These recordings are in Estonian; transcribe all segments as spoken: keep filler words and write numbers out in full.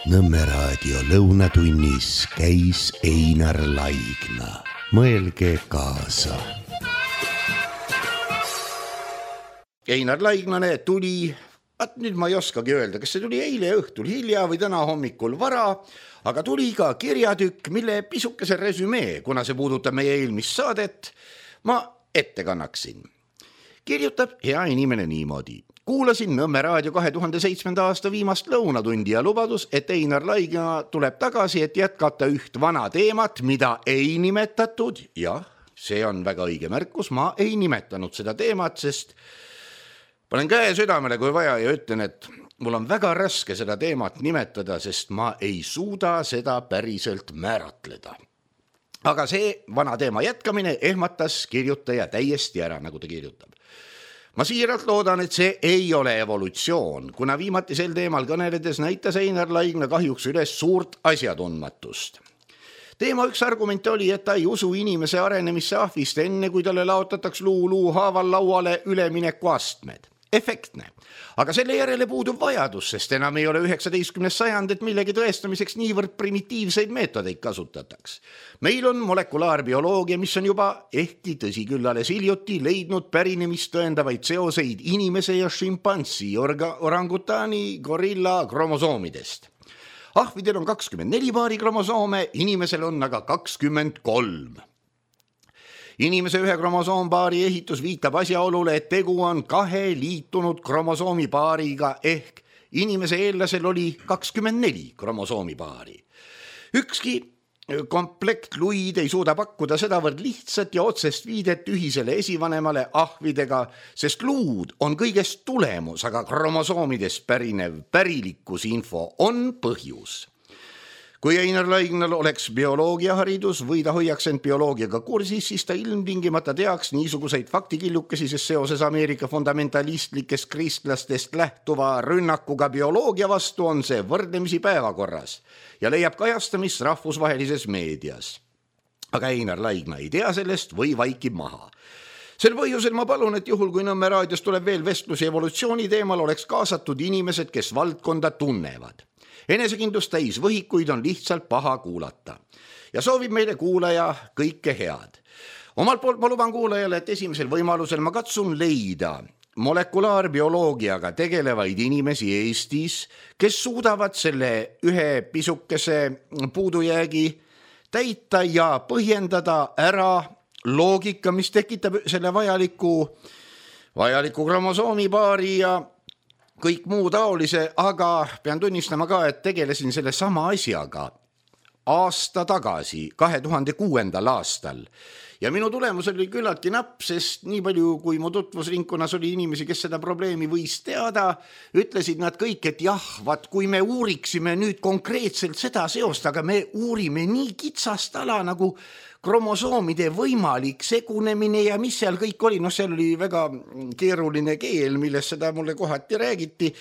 Nõmme raadio lõunatunnis käis Einar Laigna. Mõelge kaasa. Einar Laignane tuli, at nüüd ma ei oskagi öelda, kas see tuli eile õhtul hilja või täna hommikul vara, aga tuli ka kirjatükk, mille pisukese resümee, kuna see puudutab meie eelmist saadet, ma ette kannaksin. Kirjutab hea inimene niimoodi. Kuulasin Nõmme raadio kahe tuhande seitsmenda aasta viimast lõunatundi ja lubadus, et Einar Laigna tuleb tagasi, et jätkata üht vana teemat, mida ei nimetatud. Jah, see on väga õige märkus, ma ei nimetanud seda teemat, sest panen käe südamele, kui vaja, ja ütlen, et mul on väga raske seda teemat nimetada, sest ma ei suuda seda päriselt määratleda. Aga see vana teema jätkamine ehmatas kirjutaja täiesti ära, nagu ta kirjutab. Ma siiralt loodan, et see ei ole evolutsioon, kuna viimati sel teemal kõneledes näitas Einar Laigna kahjuks üles suurt asjatundmatust. Teema üks argument oli, et ta ei usu inimese arenemisse ahvist enne, kui talle laotataks luu luu haaval lauale ülemineku astmed. Efektne. Aga selle järele puudub vajadus, sest enam ei ole üheksateistkümnes sajand, et millegi tõestamiseks niivõrd primitiivseid meetodeid kasutataks. Meil on molekulaarbioloogia, mis on juba ehkki tõsi küll alles hiljuti leidnud pärinemist tõendavaid seoseid inimese ja šimpansi, orga, orangutani, gorilla kromosoomidest. Ahvidel on kakskümmend neli paari kromosoome, inimesel on aga kakskümmend kolm. Inimese ühe kromosoompaari ehitus viitab asjaolule, et tegu on kahe liitunud kromosoomipaariga ehk inimese eellasel oli kakskümmend neli kromosoomipaari. Ükski komplektluid ei suuda pakkuda sedavõrd lihtsat ja otsest viidet ühisele esivanemale ahvidega, sest luud on kõigest tulemus, aga kromosoomidest pärinev pärilikkusinfo on põhjus. Kui Einar Laignal oleks bioloogiaharidus või ta hoiaks end bioloogiaga kursis, siis ta ilmtingimata teaks niisuguseid faktikillukesi, sest seoses Ameerika fundamentalistlikest kristlastest lähtuva rünnakuga bioloogia vastu on see võrdlemisi päevakorras ja leiab kajastamist rahvusvahelises meedias. Aga Einar Laigna ei tea sellest või vaikib maha. Sel põhjusel ma palun, et juhul kui Nõmme raadios tuleb veel vestlusi evolutsiooni teemal, oleks kaasatud inimesed, kes valdkonda tunnevad. Enesekindlust täis võhikuid on lihtsalt paha kuulata ja soovib meile kuulaja kõike head. Omalt poolt ma luban kuulajale, et esimesel võimalusel ma katsun leida molekulaarbioloogiaga tegelevaid inimesi Eestis, kes suudavad selle ühe pisukese puudujäägi täita ja põhjendada ära loogika, mis tekitab selle vajaliku, vajaliku kromosoomipaari ja kõik muu taolise, aga pean tunnistama ka, et tegelesin selle sama asjaga aasta tagasi, kahe tuhande kuuendal aastal. Ja minu tulemus oli küllaltki napp, sest nii palju, kui mu tutvusringkonnas oli inimesi, kes seda probleemi võis teada, ütlesid nad kõik, et jah, vaat kui me uuriksime nüüd konkreetselt seda seost, aga me uurime nii kitsast ala nagu kromosoomide võimalik segunemine ja mis seal kõik oli, noh seal oli väga keeruline keel, milles seda mulle kohati räägiti.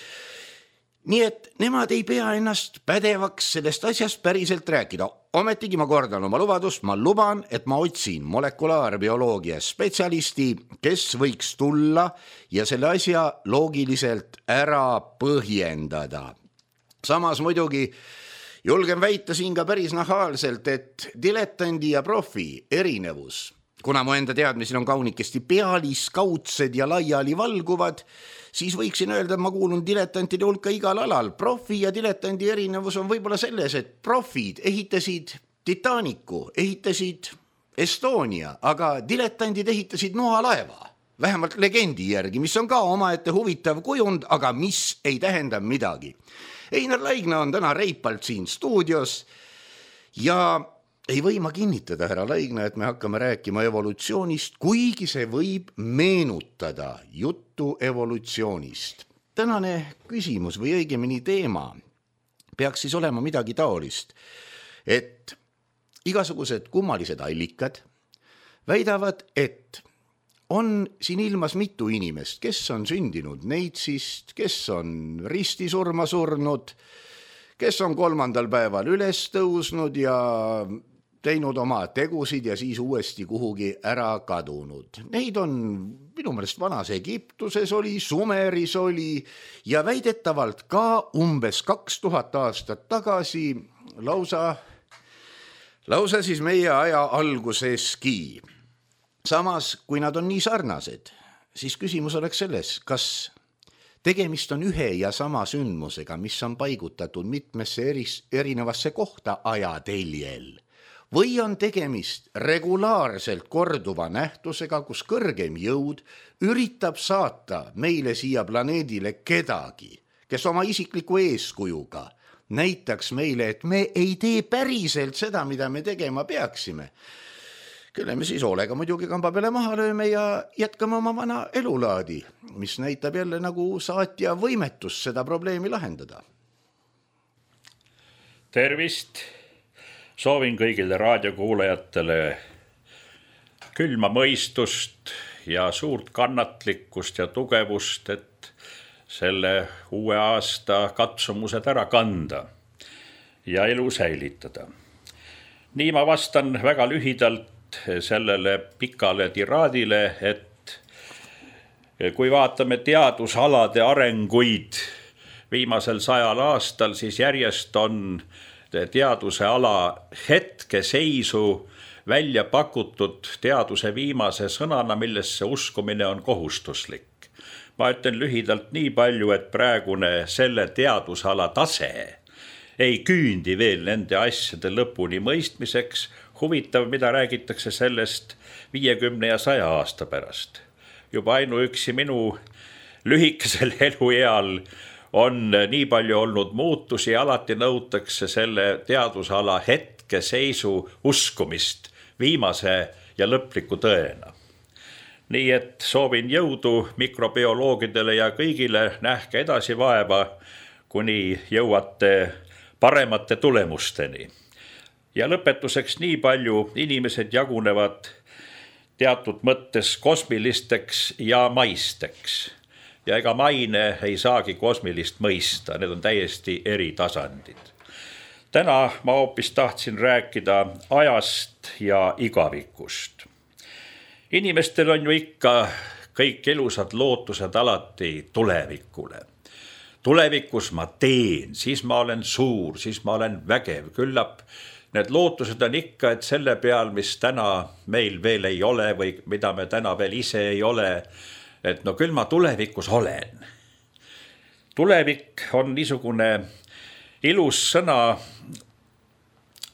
Nii et nemad ei pea ennast pädevaks sellest asjast päriselt rääkida. Ometigi ma kordan oma lubadust, ma luban, et ma otsin molekulaarbioloogia spetsialisti, kes võiks tulla ja selle asja loogiliselt ära põhjendada. Samas muidugi julgen väita siin ka päris nahaalselt, et diletandi ja profi erinevus, kuna mu enda teadmised on kaunikesti pealiskaudsed ja laiali valguvad, siis võiksin öelda, et ma kuulun diletantide hulka igal alal. Profi ja diletandi erinevus on võib-olla selles, et profid ehitasid Titanicu, ehitasid Estonia, aga diletandid ehitasid noalaeva, vähemalt legendi järgi, mis on ka omaette huvitav kujund, aga mis ei tähenda midagi. Einar Laigna on täna reipalt siin stuudios ja ei või ma kinnitada, härra Laigna, et me hakkame rääkima evolutsioonist, kuigi see võib meenutada juttu evolutsioonist. Tänane küsimus või õigemini teema peaks siis olema midagi taolist, et igasugused kummalised allikad väidavad, et on siin ilmas mitu inimest, kes on sündinud neitsist, kes on ristisurma surnud, kes on kolmandal päeval üles tõusnud ja teinud oma tegusid ja siis uuesti kuhugi ära kadunud. Neid on minu meelest vanas Egiptuses oli, Sumeris oli ja väidetavalt ka umbes kaks tuhat aastat tagasi lausa, lausa siis meie aja alguseski. Samas, kui nad on nii sarnased, siis küsimus oleks selles, kas tegemist on ühe ja sama sündmusega, mis on paigutatud mitmesse eris, erinevasse kohta ajateljel, või on tegemist regulaarselt korduva nähtusega, kus kõrgem jõud üritab saata meile siia planeedile kedagi, kes oma isikliku eeskujuga näitaks meile, et me ei tee päriselt seda, mida me tegema peaksime. Kelle me siis hoolega muidugi kamba peale maha lööme ja jätkame oma vana elulaadi, mis näitab jälle nagu saatja võimetust seda probleemi lahendada. Tervist! Soovin kõigile raadiokuulajatele külma mõistust ja suurt kannatlikkust ja tugevust, et selle uue aasta katsumused ära kanda ja elu säilitada. Nii ma vastan väga lühidalt sellele pikale tiraadile, et kui vaatame teadusalade arenguid viimasel sajal aastal, siis järjest on teaduse ala hetkeseisu välja pakutud teaduse viimase sõnana, millesse uskumine on kohustuslik. Ma ütlen lühidalt nii palju, et praegune selle teadusala tase ei küündi veel nende asjade lõpuni mõistmiseks. Huvitav, mida räägitakse sellest viiekümne ja saja aasta pärast. Juba ainuüksi minu lühikesel elueal on nii palju olnud muutusi, alati nõutakse selle teadusala hetkeseisu uskumist viimase ja lõpliku tõena. Nii et soovin jõudu mikrobioloogidele ja kõigile, nähke edasi vaeva, kuni jõuate paremate tulemusteni. Ja lõpetuseks nii palju, inimesed jagunevad teatud mõttes kosmilisteks ja maisteks. Ja ega maine ei saagi kosmilist mõista, need on täiesti eri tasandid. Täna ma hoopis tahtsin rääkida ajast ja igavikust. Inimestel on ju ikka kõik elusad lootused alati tulevikule. Tulevikus ma teen, siis ma olen suur, siis ma olen vägev, küllap. Need lootused on ikka, et selle peal, mis täna meil veel ei ole või mida me täna veel ise ei ole, et no küll ma tulevikus olen. Tulevik on niisugune ilus sõna,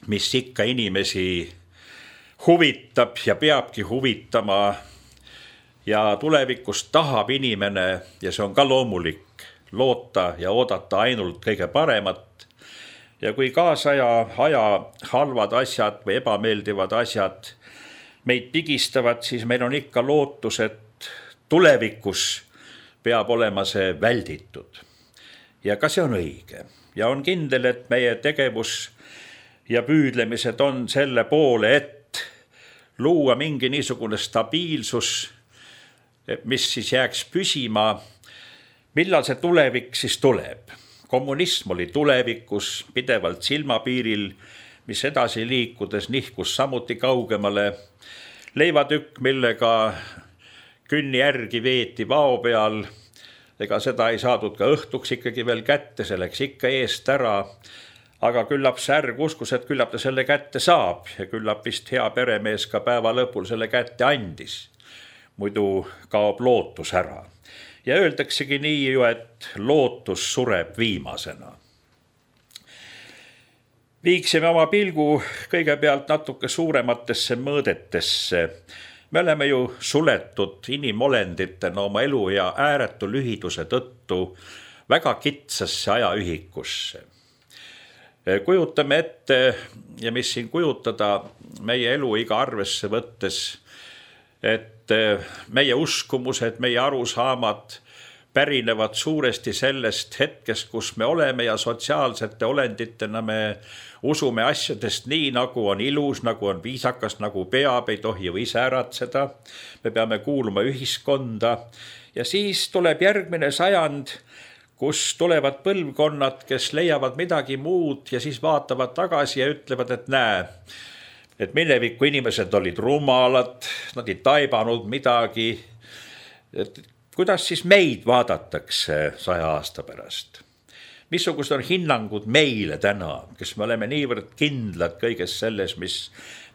mis ikka inimesi huvitab ja peabki huvitama ja tulevikus tahab inimene, ja see on ka loomulik, loota ja oodata ainult kõige paremat. Ja kui kaasaja aja halvad asjad või ebameeldivad asjad meid pigistavad, siis meil on ikka lootus, et tulevikus peab olema see välditud. Ja ka see on õige. Ja on kindel, et meie tegevus ja püüdlemised on selle poole, et luua mingi niisugune stabiilsus, mis siis jääks püsima. Millal see tulevik siis tuleb? Kommunism oli tulevikus pidevalt silmapiiril, mis edasi liikudes nihkus samuti kaugemale. Leivatükk, millega künni järgi veeti vao peal, ega seda ei saadud ka õhtuks ikkagi veel kätte, see läks ikka eest ära. Aga küllap särg uskus, et küllap ta selle kätte saab ja küllap vist hea peremees ka päeva lõpul selle kätte andis. Muidu kaob lootus ära. Ja öeldaksegi nii ju, et lootus sureb viimasena. Viiksime oma pilgu kõigepealt natuke suurematesse mõõdetesse. Me oleme ju suletud inimolenditena oma elu ja ääretu lühiduse tõttu väga kitsasse ajaühikusse. Kujutame ette, ja mis siin kujutada meie elu iga arvesse võttes, et meie uskumused, meie arusaamad pärinevad suuresti sellest hetkest, kus me oleme ja sotsiaalsete olenditena me usume asjadest nii, nagu on ilus, nagu on viisakas, nagu peab, ei tohi ju ise äratseda. Me peame kuuluma ühiskonda ja siis tuleb järgmine sajand, kus tulevad põlvkonnad, kes leiavad midagi muud ja siis vaatavad tagasi ja ütlevad, et näe, et mineviku inimesed olid rumalad, nad ei taibanud midagi. Et kuidas siis meid vaadatakse saja aasta pärast? Missugused on hinnangud meile täna, kes me oleme niivõrd kindlad kõiges selles, mis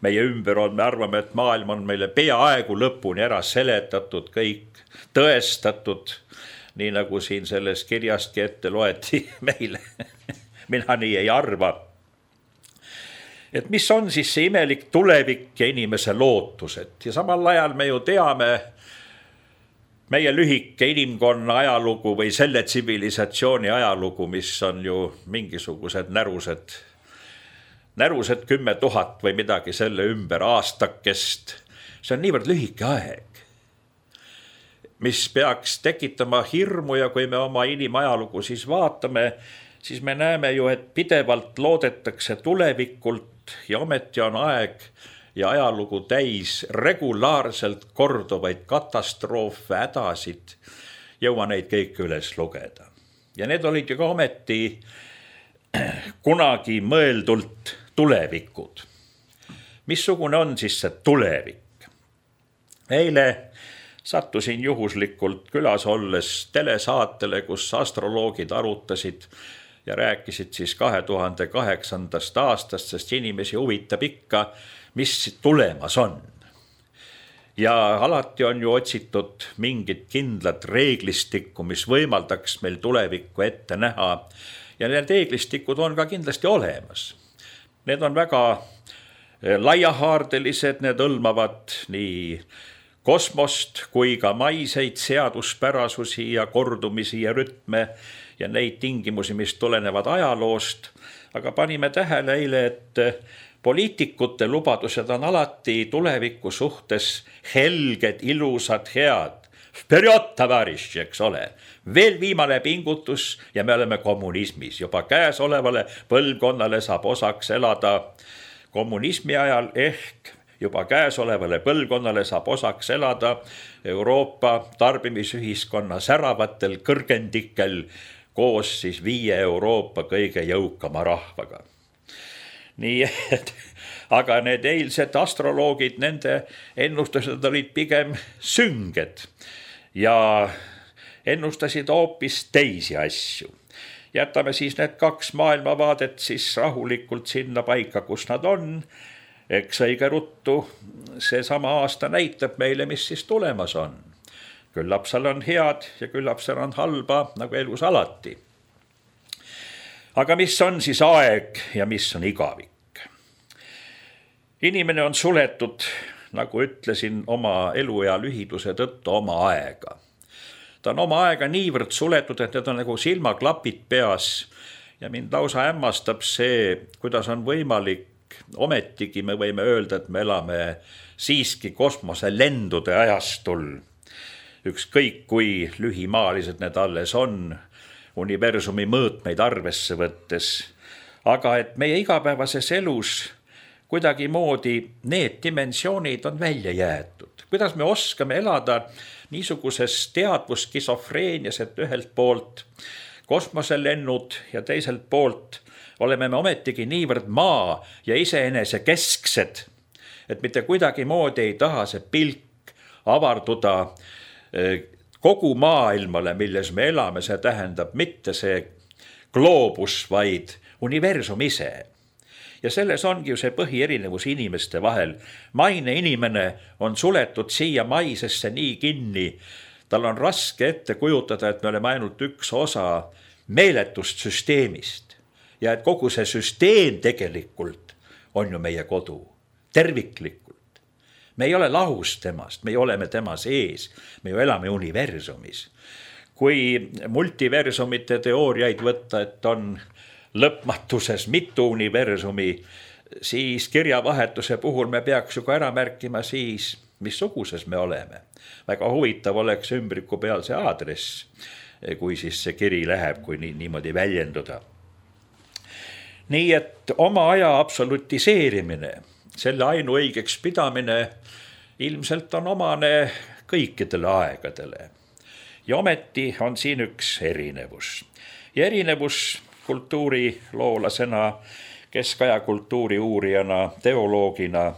meie ümber on. Me arvame, et maailm on meile peaaegu lõpuni ära seletatud, kõik tõestatud, nii nagu siin selles kirjastki ette loeti meile. Mina nii ei arva. Et mis on siis see imelik tulevik ja inimese lootused? Ja samal ajal me ju teame meie lühike inimkonna ajalugu või selle tsivilisatsiooni ajalugu, mis on ju mingisugused närused, närused kümme tuhat või midagi selle ümber aastakest. See on niivõrd lühike aeg, mis peaks tekitama hirmu, ja kui me oma inimajalugu siis vaatame, siis me näeme ju, et pidevalt loodetakse tulevikult ja ometi on aeg ja ajalugu täis regulaarselt korduvaid katastroofe, hädasid, jõua neid kõik üles lugeda. Ja need olid ju ka ometi kunagi mõeldult tulevikud. Missugune on siis see tulevik? Eile sattusin juhuslikult külas olles telesaatele, kus astroloogid arutasid ja rääkisid siis kahe tuhande kaheksandast aastast, sest inimesi huvitab ikka, mis tulemas on. Ja alati on ju otsitud mingit kindlat reeglistikku, mis võimaldaks meil tulevikku ette näha. Ja need reeglistikud on ka kindlasti olemas. Need on väga laiahaardelised, need hõlmavad nii kosmost kui ka maiseid seaduspärasusi ja kordumisi ja rütme ja neid tingimusi, mis tulenevad ajaloost. Aga panime tähele eile, et poliitikute lubadused on alati tuleviku suhtes helged, ilusad, head. Vperjod, tavariši, eks ole. Veel viimane pingutus ja me oleme kommunismis. Juba käesolevale põlvkonnale saab osaks elada kommunismi ajal, ehk juba käesolevale põlvkonnale saab osaks elada Euroopa tarbimisühiskonna säravatel kõrgendikel koos siis viie Euroopa kõige jõukama rahvaga. Nii et, aga need eilsed astroloogid, nende ennustused olid pigem sünged ja ennustasid hoopis teisi asju. Jätame siis need kaks maailmavaadet siis rahulikult sinna paika, kus nad on. Eks õige ruttu see sama aasta näitab meile, mis siis tulemas on. Küllap seal on head ja küllap seal on halba, nagu elus alati. Aga mis on siis aeg ja mis on igavik? Inimene on suletud, nagu ütlesin, oma elu ja lühiduse tõttu oma aega. Ta on oma aega niivõrd suletud, et need on nagu silmaklapid peas ja mind lausa hämmastab see, kuidas on võimalik. Ometigi me võime öelda, et me elame siiski kosmoselendude ajastul. Ükskõik kui lühimaalised need alles on, universumi mõõtmeid arvesse võttes. Aga et meie igapäevases elus kuidagi moodi need dimensioonid on välja jäetud. Kuidas me oskame elada niisuguses teadvuskisofreenias, et ühelt poolt kosmoselennud ja teiselt poolt oleme me ometigi niivõrd maa ja iseenese kesksed, et mitte kuidagi moodi ei taha see pilk avarduda kogu maailmale, milles me elame. See tähendab mitte see gloobus, vaid universum ise. Ja selles ongi ju see põhierinevus inimeste vahel. Maine inimene on suletud siia maisesse nii kinni. Tal on raske ette kujutada, et me oleme ainult üks osa meeletust süsteemist. Ja et kogu see süsteem tegelikult on ju meie kodu, terviklikult. Me ei ole lahus temast, me oleme tema sees, me ju elame universumis. Kui multiversumite teooriaid võtta, et on lõpmatuses mitu universumi, siis kirjavahetuse puhul me peaks ju ka ära märkima siis, missuguses me oleme. Väga huvitav oleks ümbriku peal see aadress, kui siis see kiri läheb, kui nii, niimoodi väljenduda. Nii et oma aja absolutiseerimine, selle ainuõigeks pidamine ilmselt on omane kõikidele aegadele. Ja ometi on siin üks erinevus. Ja erinevus kultuuriloolasena keskaja kultuuri uurijana, teoloogina.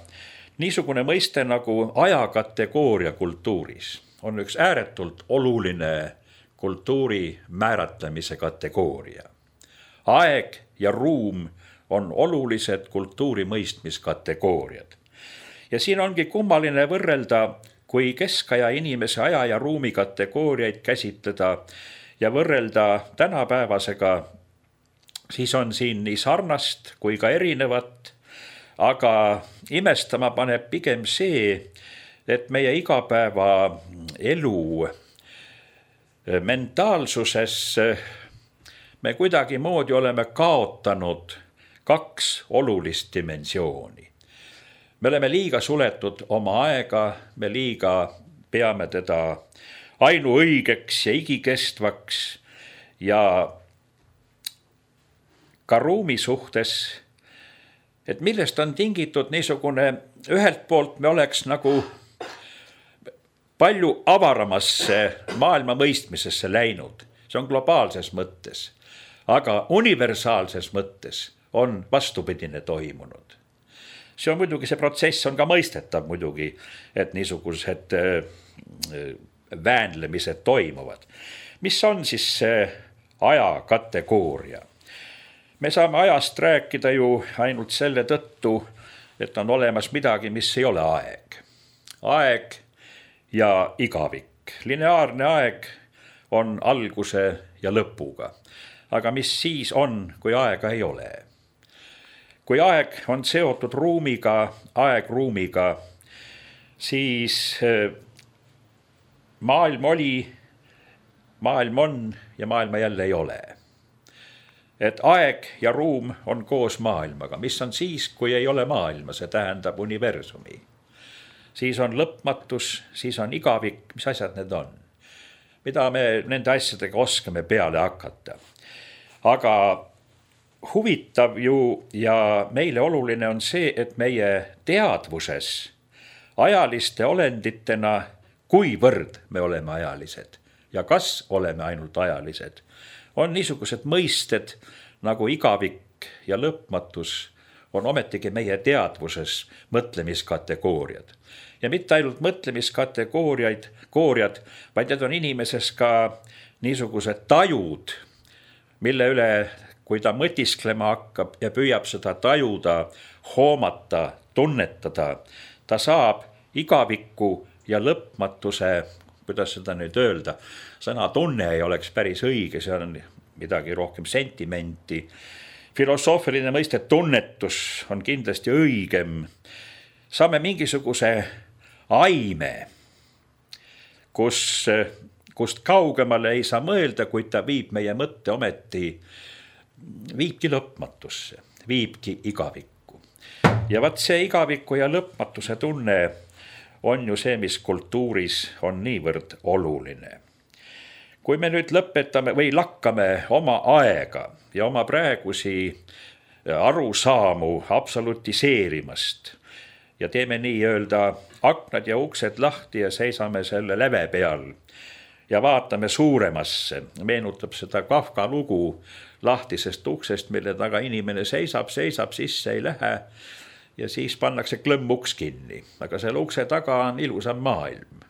Niisugune mõiste nagu ajakategooria kultuuris on üks ääretult oluline kultuuri määratlemise kategooria. Aeg ja ruum on olulised kultuuri mõistmiskategooriad. Ja siin ongi kummaline võrrelda, kui keskaja inimese aja ja ruumi kategooriaid käsitleda ja võrrelda tänapäevasega, siis on siin nii sarnast kui ka erinevat, aga imestama paneb pigem see, et meie igapäeva elu mentaalsuses me kuidagi moodi oleme kaotanud kaks olulist dimensiooni. Me oleme liiga suletud oma aega, me liiga peame teda ainuõigeks ja igikestvaks ja ka ruumi suhtes, et millest on tingitud niisugune, ühelt poolt me oleks nagu palju avaramasse maailma mõistmisesse läinud, see on globaalses mõttes, aga universaalses mõttes on vastupidine toimunud. See on muidugi, see protsess on ka mõistetav muidugi, et niisugused väänlemised toimuvad. Mis on siis see aja kategooria? Me saame ajast rääkida ju ainult selle tõttu, et on olemas midagi, mis ei ole aeg. Aeg ja igavik. Lineaarne aeg on alguse ja lõpuga. Aga mis siis on, kui aega ei ole? Kui aeg on seotud ruumiga, aeg-ruumiga, siis maailm oli, maailm on ja maailma jälle ei ole. Et aeg ja ruum on koos maailmaga. Mis on siis, kui ei ole maailma, see tähendab universumi. Siis on lõpmatus, siis on igavik, mis asjad need on. Mida me nende asjadega oskame peale hakata. Aga huvitav ju ja meile oluline on see, et meie teadvuses ajaliste olenditena, kuivõrd me oleme ajalised ja kas oleme ainult ajalised, on niisugused mõisted nagu igavik ja lõpmatus on ometigi meie teadvuses mõtlemiskategooriad. Ja mitte ainult mõtlemiskategooriaid, kooriad, vaid need on inimeses ka niisugused tajud, mille üle, kui ta mõtisklema hakkab ja püüab seda tajuda, hoomata, tunnetada, ta saab igaviku ja lõpmatuse, kuidas seda nüüd öelda, sõna tunne ei oleks päris õige, see on midagi rohkem sentimenti. Filosoofiline mõiste tunnetus on kindlasti õigem. Saame mingisuguse aime, kus, kust kaugemale ei saa mõelda, kuid ta viib meie mõtte ometi, viibki lõpmatusse, viibki igavikku. Ja vaat see igaviku ja lõpmatuse tunne on ju see, mis kultuuris on niivõrd oluline. Kui me nüüd lõpetame või lakkame oma aega ja oma praegusi arusaamu absolutiseerimast ja teeme nii öelda aknad ja uksed lahti ja seisame selle läve peal ja vaatame suuremasse, meenutab seda Kafka lugu lahtisest uksest, mille taga inimene seisab, seisab, sisse ei lähe ja siis pannakse klõmm uks kinni, aga selle ukse taga on ilusam maailm.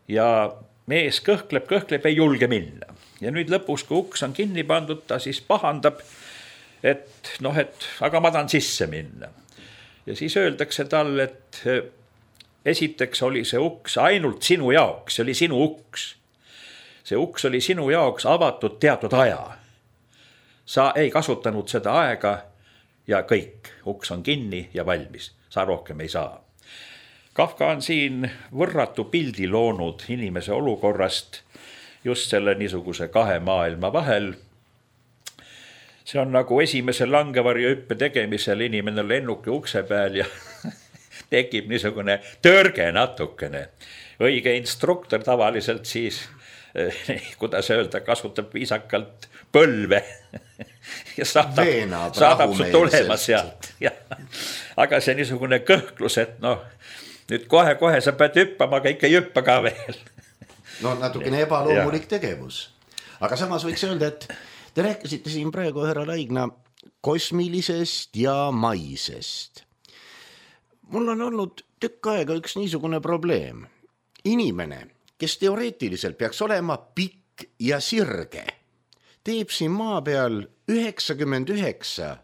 Ja mees kõhkleb, kõhkleb, ei julge minna. Ja nüüd lõpus, kui uks on kinni pandud, ta siis pahandab, et noh, et aga ma tahan sisse minna. Ja siis öeldakse tal, et esiteks oli see uks ainult sinu jaoks, see oli sinu uks. See uks oli sinu jaoks avatud teatud aja. Sa ei kasutanud seda aega ja kõik, uks on kinni ja valmis, sa rohkem ei saa. Kafka on siin võrratu pildi loonud inimese olukorrast just selle niisuguse kahe maailma vahel. See on nagu esimese langevarju hüppe tegemisel inimene lennuki ukse peal ja tekib niisugune törge natukene. Õige instruktor tavaliselt siis, kuidas öelda, kasutab viisakalt põlve ja saadab, saadab su tulema sealt. Ja. Aga see niisugune kõhklus, et noh, nüüd kohe-kohe sa pead hüppama, aga ikka ei hüppa ka veel. No natukene ebaloomulik tegevus. Aga samas võiks öelda, et te rääkisite siin praegu härra Laigna kosmilisest ja maisest. Mul on olnud tükk aega üks niisugune probleem. Inimene, kes teoreetiliselt peaks olema pikk ja sirge, teeb siin maa peal üheksakümmend üheksa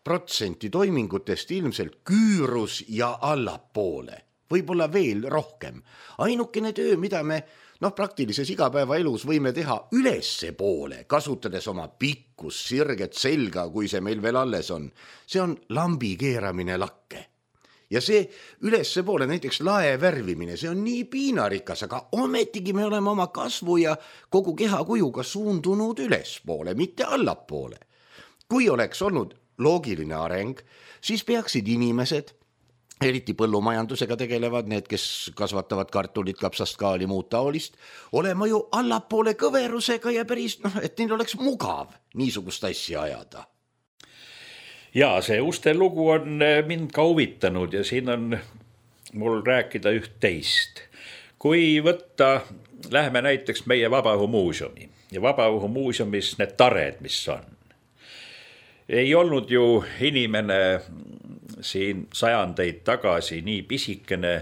protsenti toimingutest ilmselt küürus ja allapoole, võib-olla veel rohkem. Ainukene töö, mida me noh, praktilises igapäevaelus võime teha ülesse poole, kasutades oma pikkus, sirget selga, kui see meil veel alles on, see on lambi keeramine lakke. Ja see ülesse poole, näiteks lae värvimine, see on nii piinarikas, aga ometigi me oleme oma kasvu ja kogu kehakujuga suundunud ülespoole, mitte allapoole. Kui oleks olnud loogiline areng, siis peaksid inimesed, eriti põllumajandusega tegelevad, need, kes kasvatavad kartulit, kapsast, kaali, muud taolist, olema ju allapoole kõverusega ja päris, noh, et neil oleks mugav niisugust asja ajada. Jaa, see uste lugu on mind ka huvitanud ja siin on mul rääkida üht teist. Kui võtta, läheme näiteks meie Vabaõhumuuseumi ja Vabaõhumuuseumis need tared, mis on. Ei olnud ju inimene siin sajandeid tagasi nii pisikene,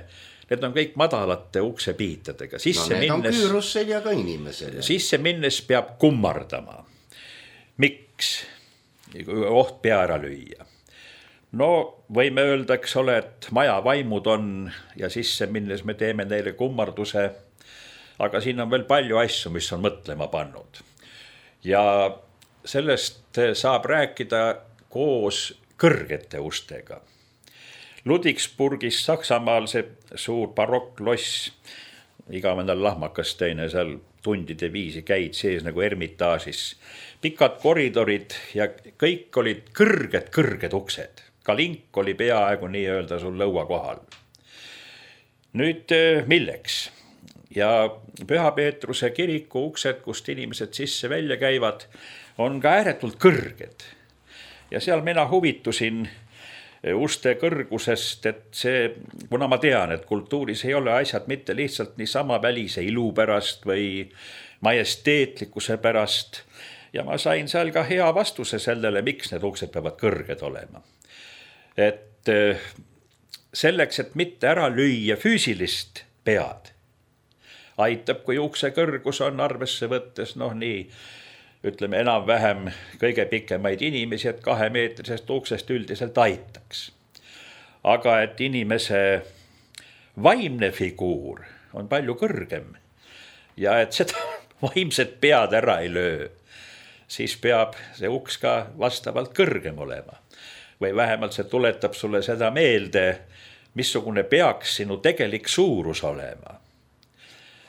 need on kõik madalate uksepiitadega. No need on küürusseljaga inimesele. Sisse minnes peab kummardama. Miks? Oht pea ära lüüa. No võime öelda, eks ole, et maja vaimud on ja sisse minnes me teeme neile kummarduse, aga siin on veel palju asju, mis on mõtlema pannud. Ja sellest saab rääkida koos kõrgete ustega. Ludwigsburgis Saksamaal see suur barokkloss, igavendal lahmakas teine seal tundide viisi käid sees nagu ermitaažis. Pikad koridorid ja kõik olid kõrged, kõrged uksed. Ka link oli peaaegu nii öelda sul lõua kohal. Nüüd milleks? Ja Püha Peetruse kiriku uksed, kust inimesed sisse välja käivad, on ka ääretult kõrged. Ja seal mina huvitusin uste kõrgusest, et see, kuna ma tean, et kultuuris ei ole asjad mitte lihtsalt niisama välise ilu pärast või majesteetlikkuse pärast, ja ma sain seal ka hea vastuse sellele, miks need uksed peavad kõrged olema. Et selleks, et mitte ära lüüa füüsilist pead, aitab, kui ukse kõrgus on arvesse võttes, noh nii, ütleme enam-vähem kõige pikemaid inimesi, et kahe meetrisest uksest üldiselt aitaks. Aga et inimese vaimne figuur on palju kõrgem ja et seda vaimset pead ära ei löö, siis peab see uks ka vastavalt kõrgem olema. Või vähemalt see tuletab sulle seda meelde, missugune peaks sinu tegelik suurus olema.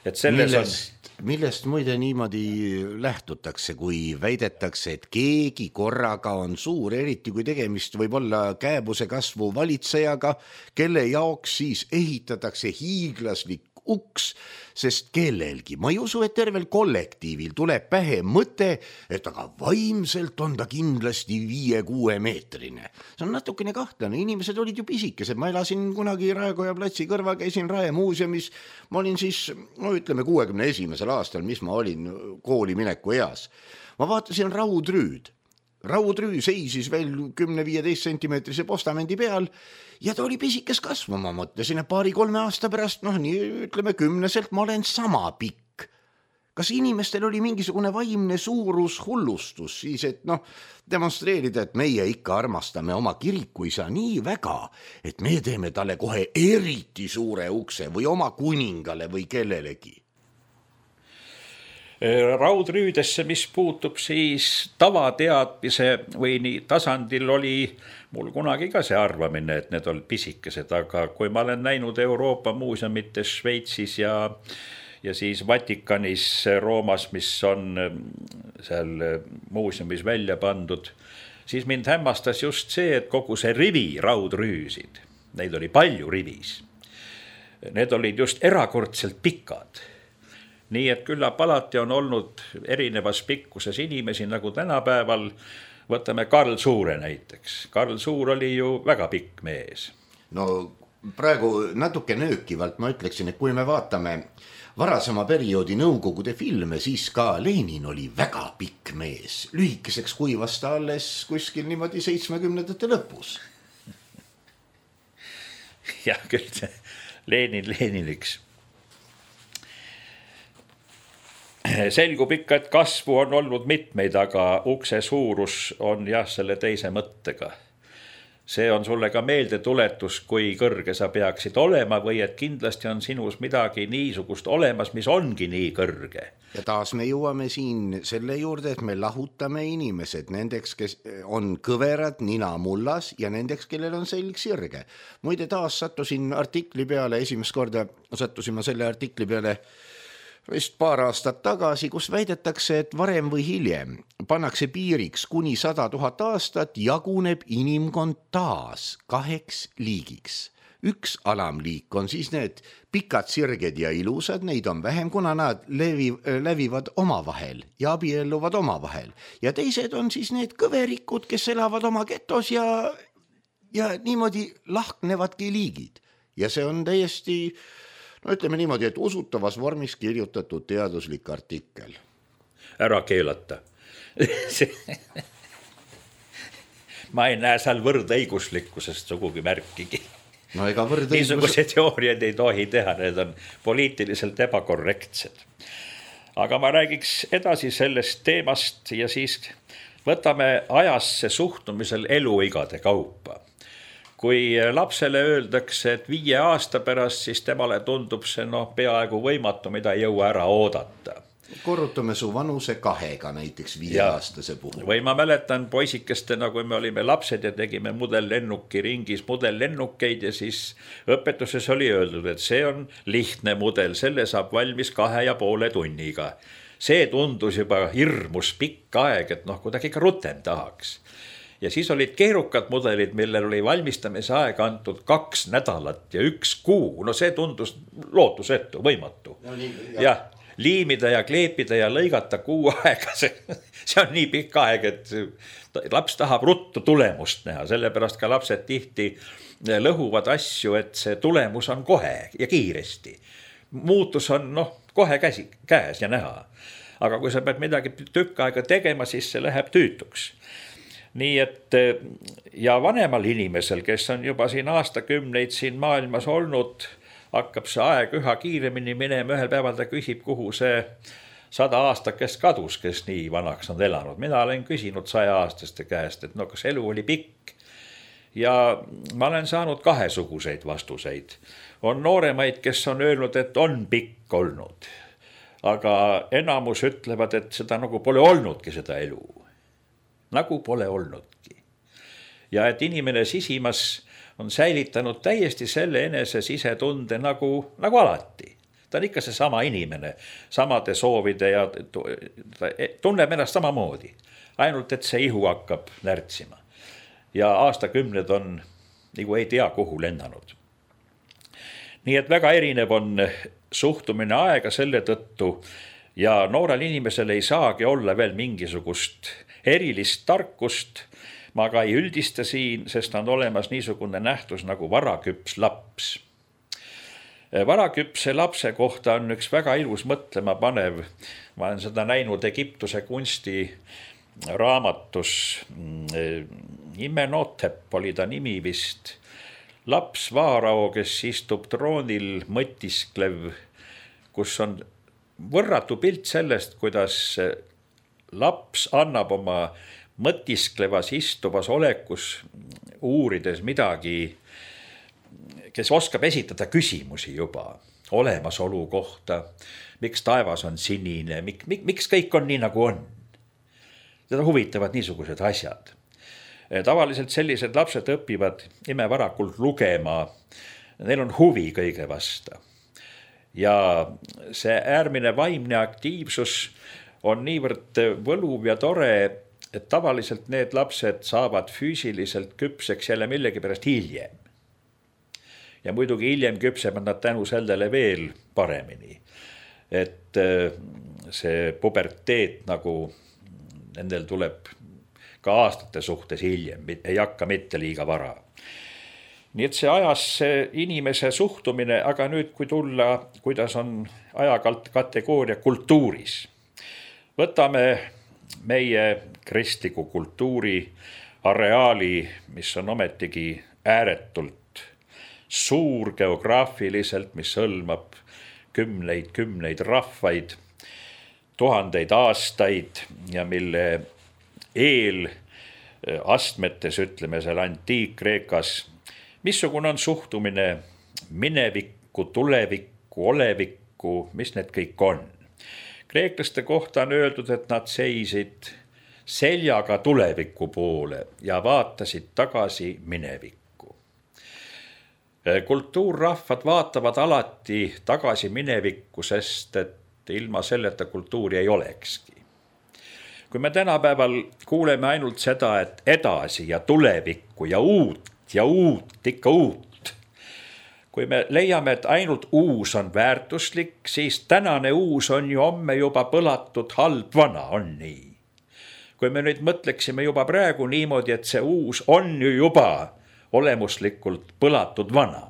Et selles millest, on... millest muide niimoodi lähtutakse, kui väidetakse, et keegi korraga on suur, eriti kui tegemist võib olla kääbuse kasvu valitsejaga, kelle jaoks siis ehitatakse hiiglaslik uks, sest kellelgi, ma ei usu, et tervel kollektiivil tuleb pähe mõte, et aga vaimselt on ta kindlasti viie-kuue meetrine. See on natukene kahtlane, inimesed olid ju pisikesed, ma elasin kunagi Raekoja platsi kõrval, käisin Rae muuseumis, ma olin siis, no ütleme kuuekümne esimesel aastal, mis ma olin kooli mineku eas. Ma vaatasin raudrüüd. Raudrüü seisis veel kümne-viieteist sentimeetrise postamendi peal ja ta oli pisikes kasvu, ma mõtlesin, et paari-kolme aasta pärast, noh nii ütleme kümneselt, ma olen sama pikk. Kas inimestel oli mingisugune vaimne suurus hullustus siis, et noh, demonstreerida, et meie ikka armastame oma kirikuisa nii väga, et me teeme talle kohe eriti suure ukse või oma kuningale või kellelegi. Raudrüüdesse, mis puutub siis tavateadmise või nii tasandil oli mul kunagi ka see arvamine, et need olid pisikesed, aga kui ma olen näinud Euroopa muuseumites Šveitsis ja, ja siis Vatikanis Roomas, mis on seal muuseumis välja pandud, siis mind hämmastas just see, et kogu see rivi raudrüüsid, neid oli palju rivis, need olid just erakordselt pikad. Nii et küllap alati on olnud erinevas pikkuses inimesi, nagu tänapäeval, võtame Karl Suure näiteks. Karl Suur oli ju väga pikk mees. No praegu natuke nöökivalt ma ütleksin, et kui me vaatame varasema perioodi Nõukogude filme, siis ka Lenin oli väga pikk mees. Lühikeseks kuivas ta alles kuskil niimoodi seitsmekümnendate lõpus. jah, küll see Lenin Leniniks. Selgub ikka, et kasvu on olnud mitmeid, aga ukse suurus on jah selle teise mõttega. See on sulle ka meelde tuletus, kui kõrge sa peaksid olema või et kindlasti on sinus midagi niisugust olemas, mis ongi nii kõrge. Ja taas me jõuame siin selle juurde, et me lahutame inimesed nendeks, kes on kõverad nina mullas ja nendeks, kellel on selg sirge. Muide taas sattusin artikli peale, esimest korda sattusin ma selle artikli peale vist paar aastat tagasi, kus väidetakse, et varem või hiljem pannakse piiriks kuni sada tuhat aastat, jaguneb inimkond taas kaheks liigiks. Üks alamliik on siis need pikad sirged ja ilusad, neid on vähem, kuna nad levi, lävivad omavahel ja abielluvad omavahel. Ja teised on siis need kõverikud, kes elavad oma getos ja, ja niimoodi lahknevadki liigid. Ja see on täiesti... No ütleme niimoodi, et usutavas vormis kirjutatud teaduslik artikkel. Ära keelata. Ma ei näe seal võrdõiguslikkusest sugugi märkigi. No ega võrdõigus... Niisuguse teooriad ei tohi teha, need on poliitiliselt ebakorrektsed. Aga ma räägiks edasi sellest teemast ja siis võtame ajasse suhtumisel eluigade kaupa. Kui lapsele öeldakse, et viie aasta pärast, siis temale tundub see no, peaaegu võimatu, mida ei jõua ära oodata. Korrutame su vanuse kahega näiteks viieaastase puhul. Või ma mäletan poisikestena, kui me olime lapsed ja tegime mudellennuki ringis mudellennukeid ja siis õpetuses oli öeldud, et see on lihtne mudel, selle saab valmis kahe ja poole tunniga. See tundus juba hirmus pikk aeg, et noh, kuidagi ikka rutem tahaks. Ja siis olid keerukad mudelid, millel oli valmistamise aeg antud kaks nädalat ja üks kuu. No see tundus lootusetu, võimatu. No, nii, ja liimida ja kleepida ja lõigata kuu aega. See, see on nii pikk aeg, et laps tahab ruttu tulemust näha. Sellepärast ka lapsed tihti lõhuvad asju, et see tulemus on kohe ja kiiresti. Muutus on noh, kohe käsi, käes ja näha. Aga kui sa pead midagi tükk aega tegema, siis see läheb tüütuks. Nii et ja vanemal inimesel, kes on juba siin aastakümneid siin maailmas olnud, hakkab see aeg üha kiiremini minema, ühel päeval ta küsib, kuhu see sada aastakest kadus, kes nii vanaks on elanud. Mina olen küsinud saja aastaste käest, et no kas elu oli pikk. Ja ma olen saanud kahesuguseid vastuseid. On nooremaid, kes on öelnud, et on pikk olnud. Aga enamus ütlevad, et seda nagu pole olnudki seda elu. Nagu pole olnudki. Ja et inimene sisimas on säilitanud täiesti selle enese sisetunde nagu, nagu alati. Ta on ikka see sama inimene, samade soovide ja tunneb ennast samamoodi. Ainult, et see ihu hakkab närtsima. Ja aastakümned on nagu ei tea kuhu lennanud. Nii et väga erinev on suhtumine aega selle tõttu ja noorel inimesel ei saagi olla veel mingisugust erilist tarkust. Ma ka ei üldista siin, sest on olemas niisugune nähtus nagu varaküps laps. Varaküpse lapse kohta on üks väga ilus mõtlema panev. Ma olen seda näinud Egiptuse kunsti raamatus. Imenotep oli ta nimi vist. Laps vaarao, kes istub troonil mõtisklev, kus on võrratu pilt sellest, kuidas laps annab oma mõtisklevas istuvas olekus uurides midagi, kes oskab esitada küsimusi juba olemasolu kohta, miks taevas on sinine, mik, mik, miks kõik on nii nagu on. Teda huvitavad niisugused asjad. Tavaliselt sellised lapsed õpivad imevarakult lugema, neil on huvi kõige vasta. Ja see äärmine vaimne aktiivsus on niivõrd võluv ja tore, et tavaliselt need lapsed saavad füüsiliselt küpseks jälle millegi pärast hiljem. Ja muidugi hiljem küpsevad nad tänu sellele veel paremini. Et see puberteet nagu nendel tuleb ka aastate suhtes hiljem, ei hakka mitte liiga vara. Nii et see ajas see inimese suhtumine, aga nüüd kui tulla, kuidas on ajakategooria kultuuris. Võtame meie kristliku kultuuri areaali, mis on ometigi ääretult suur geograafiliselt, mis hõlmab kümneid, kümneid rahvaid, tuhandeid aastaid ja mille eel astmetes, ütleme seal Antiik-Kreekas, missugune on suhtumine minevikku, tulevikku, olevikku, mis need kõik on. Kreeklaste kohta on öeldud, et nad seisid seljaga tuleviku poole ja vaatasid tagasi minevikku. Kultuurrahvad vaatavad alati tagasi minevikku, sest et ilma selleta kultuuri ei olekski. Kui me tänapäeval kuuleme ainult seda, et edasi ja tulevikku ja uut ja uut, ikka uut. Kui me leiame, et ainult uus on väärtuslik, siis tänane uus on ju homme juba põlatud halb vana, on nii. Kui me nüüd mõtleksime juba praegu niimoodi, et see uus on ju juba olemuslikult põlatud vana.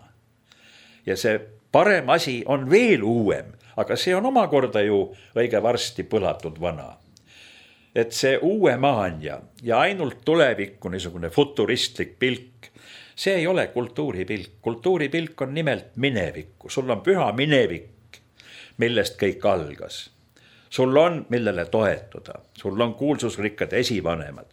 Ja see parem asi on veel uuem, aga see on omakorda ju õige varsti põlatud vana. Et see uue maania ja ainult tulevikku niisugune futuristlik pilk, see ei ole kultuuripilk. Kultuuripilk on nimelt minevikku. Sul on püha minevik, millest kõik algas. Sul on, millele toetuda. Sul on kuulsusrikkad esivanemad.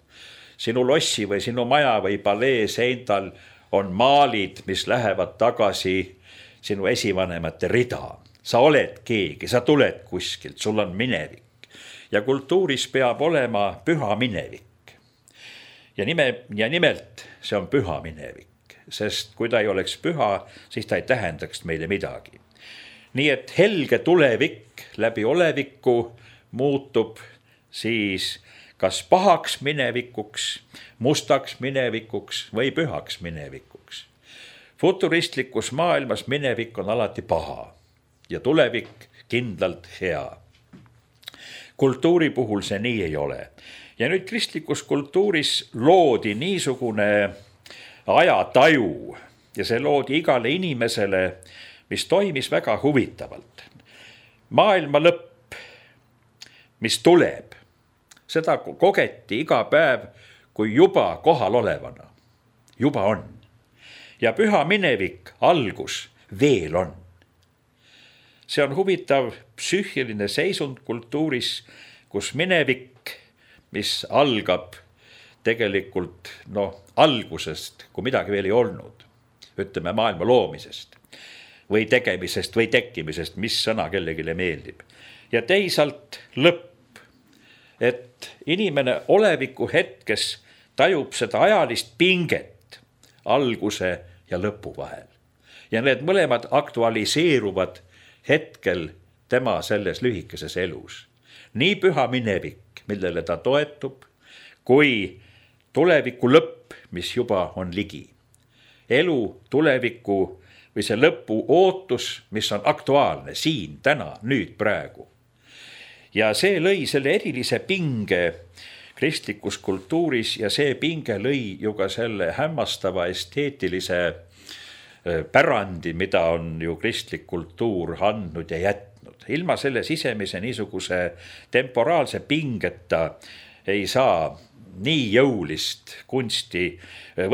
Sinu lossi või sinu maja või palee seintal on maalid, mis lähevad tagasi sinu esivanemate rida. Sa oled keegi, sa tuled kuskilt, sul on minevik. Ja kultuuris peab olema püha minevik. Ja, nime, ja nimelt see on püha minevik, sest kui ta ei oleks püha, siis ta ei tähendaks meile midagi. Nii et helge tulevik läbi oleviku muutub siis kas pahaks minevikuks, mustaks minevikuks või pühaks minevikuks. Futuristlikus maailmas minevik on alati paha ja tulevik kindlalt hea. Kultuuri puhul see nii ei ole. Ja nüüd kristlikus kultuuris loodi niisugune ajataju ja see loodi igale inimesele, mis toimis väga huvitavalt. Maailma lõpp, mis tuleb, seda kogeti iga päev kui juba kohal olevana. Juba on. Ja püha minevik, algus, veel on. See on huvitav psüühiline seisund kultuuris, kus minevik, mis algab tegelikult no, algusest, kui midagi veel ei olnud, ütleme maailma loomisest või tegemisest või tekkimisest, mis sõna kellegile meeldib. Ja teisalt lõpp, et inimene oleviku hetkes tajub seda ajalist pinget alguse ja lõpu vahel. Ja need mõlemad aktualiseeruvad hetkel tema selles lühikeses elus. Nii püha minevik, millele ta toetub, kui tuleviku lõpp, mis juba on ligi. Elu, tuleviku või see lõpu ootus, mis on aktuaalne siin, täna, nüüd, praegu. Ja see lõi selle erilise pinge kristlikus kultuuris ja see pinge lõi ju ka selle hämmastava esteetilise pärandi, mida on ju kristlik kultuur andnud ja jätnud. Ilma selle sisemise niisuguse temporaalse pingeta ei saa nii jõulist kunsti.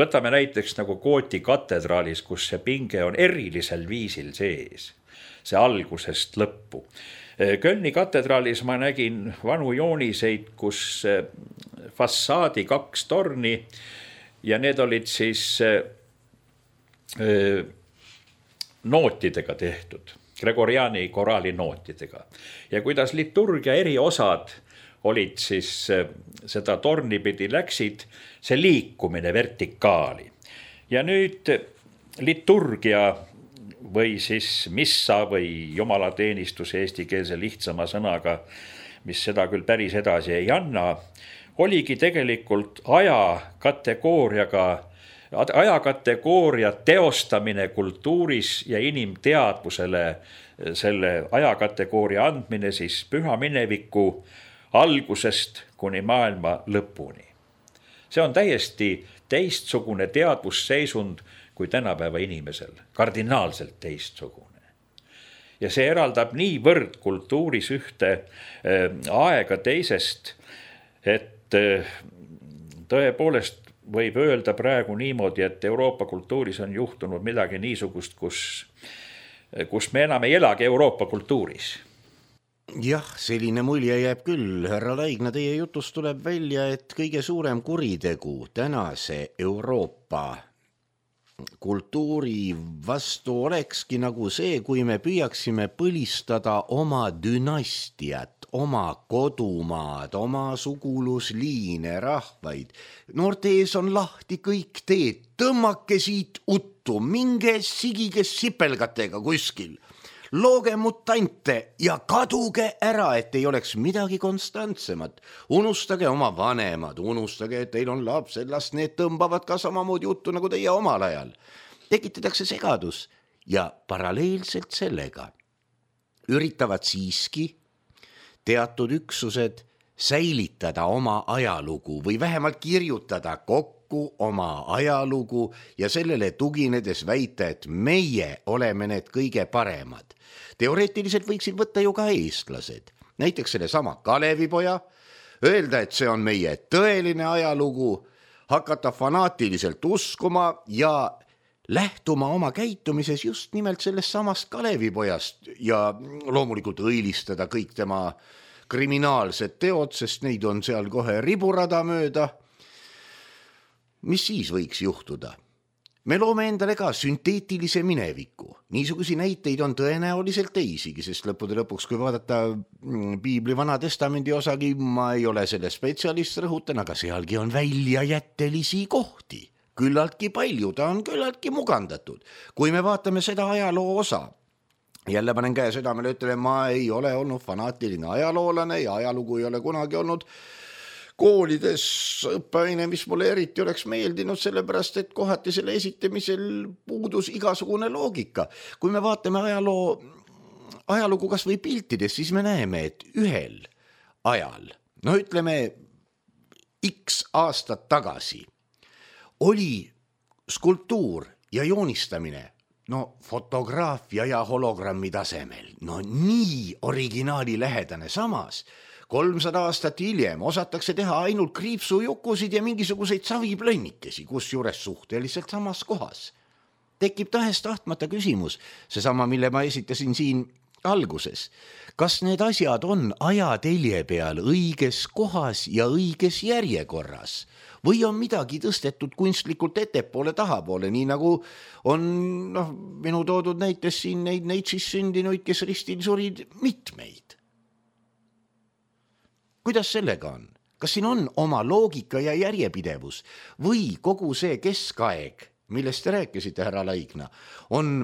Võtame näiteks nagu Gooti katedraalis, kus see pinge on erilisel viisil sees. See algusest lõppu. Kölni katedraalis ma nägin vanu jooniseid, kus fassaadi kaks torni ja need olid siis nootidega tehtud, Gregoriani koraali nootidega. Ja kuidas liturgia eri osad olid siis seda tornipidi läksid, see liikumine vertikaali. Ja nüüd liturgia või siis missa või jumalateenistus eestikeelse lihtsama sõnaga, mis seda küll päris edasi ei anna, oligi tegelikult ajakategooriaga ajakategooria teostamine kultuuris ja inimteadvusele selle ajakategooria andmine siis püha mineviku algusest kuni maailma lõpuni. See on täiesti teistsugune teadvusseisund kui tänapäeva inimesel, kardinaalselt teistsugune. Ja see eraldab niivõrd kultuuris ühte äh, aega teisest, et äh, tõepoolest võib öelda praegu niimoodi, et Euroopa kultuuris on juhtunud midagi niisugust, kus, kus me enam ei elagi Euroopa kultuuris. Jah, selline mulje jääb küll. Härra Laigna, teie jutust tuleb välja, et kõige suurem kuritegu tänase Euroopa kultuuri vastu olekski nagu see, kui me püüaksime põlistada oma dünastiat, oma kodumaad, oma sugulusliine, rahvaid. Noorte ees on lahti kõik teed, tõmmake siit uttu, minge sigige sipelgatega kuskil. Looge mutante ja kaduge ära, et ei oleks midagi konstantsemat. Unustage oma vanemad, unustage, et teil on lapsed, las need tõmbavad ka samamoodi juttu nagu teie omal ajal. Tekitatakse segadus ja paralleelselt sellega üritavad siiski teatud üksused säilitada oma ajalugu või vähemalt kirjutada kokku oma ajalugu ja sellele tuginedes väita, et meie oleme need kõige paremad. Teoreetiliselt võiksid võtta ju ka eestlased, näiteks selle sama Kalevipoja, öelda, et see on meie tõeline ajalugu, hakata fanaatiliselt uskuma ja lähtuma oma käitumises just nimelt sellest samast Kalevipojast ja loomulikult õilistada kõik tema kriminaalsed teod, sest neid on seal kohe riburada mööda. Mis siis võiks juhtuda? Me loome endale ka sünteetilise mineviku. Niisugusi näiteid on tõenäoliselt teisigi, sest lõppude lõpuks, kui vaadata Piibli Vana Testamendi osagi, ma ei ole selle spetsialist, rõhutan, aga sealgi on väljajättelisi kohti. Küllaltki palju, ta on küllaltki mugandatud. Kui me vaatame seda ajaloo osa, jälle panen käe südamele, ütlen, ma ei ole olnud fanaatiline ajaloolane ja ajalugu ei ole kunagi olnud koolides õppeaine, mis mulle eriti oleks meeldinud, sellepärast, et kohati selle esitamisel puudus igasugune loogika. Kui me vaatame ajaloo, ajalugu kas või piltides, siis me näeme, et ühel ajal, no ütleme X aastat tagasi, oli skulptuur ja joonistamine, no fotograafia ja hologrammi tasemel, no nii originaali lähedane. Samas, kolmsada aastat hiljem osatakse teha ainult kriipsujukusid ja mingisuguseid saviplönnikesi, kus juures suhteliselt samas kohas. Tekib tahest tahtmata küsimus, seesama, mille ma esitasin siin alguses. Kas need asjad on ajatelje peal õiges kohas ja õiges järjekorras? Või on midagi tõstetud kunstlikult ettepoole tahapoole, nii nagu on noh, minu toodud näites siin neid neitsis sündinuid, kes ristil surid mitmeid. Kuidas sellega on? Kas siin on oma loogika ja järjepidevus või kogu see keskaeg, millest te rääkisite, härra Laigna, on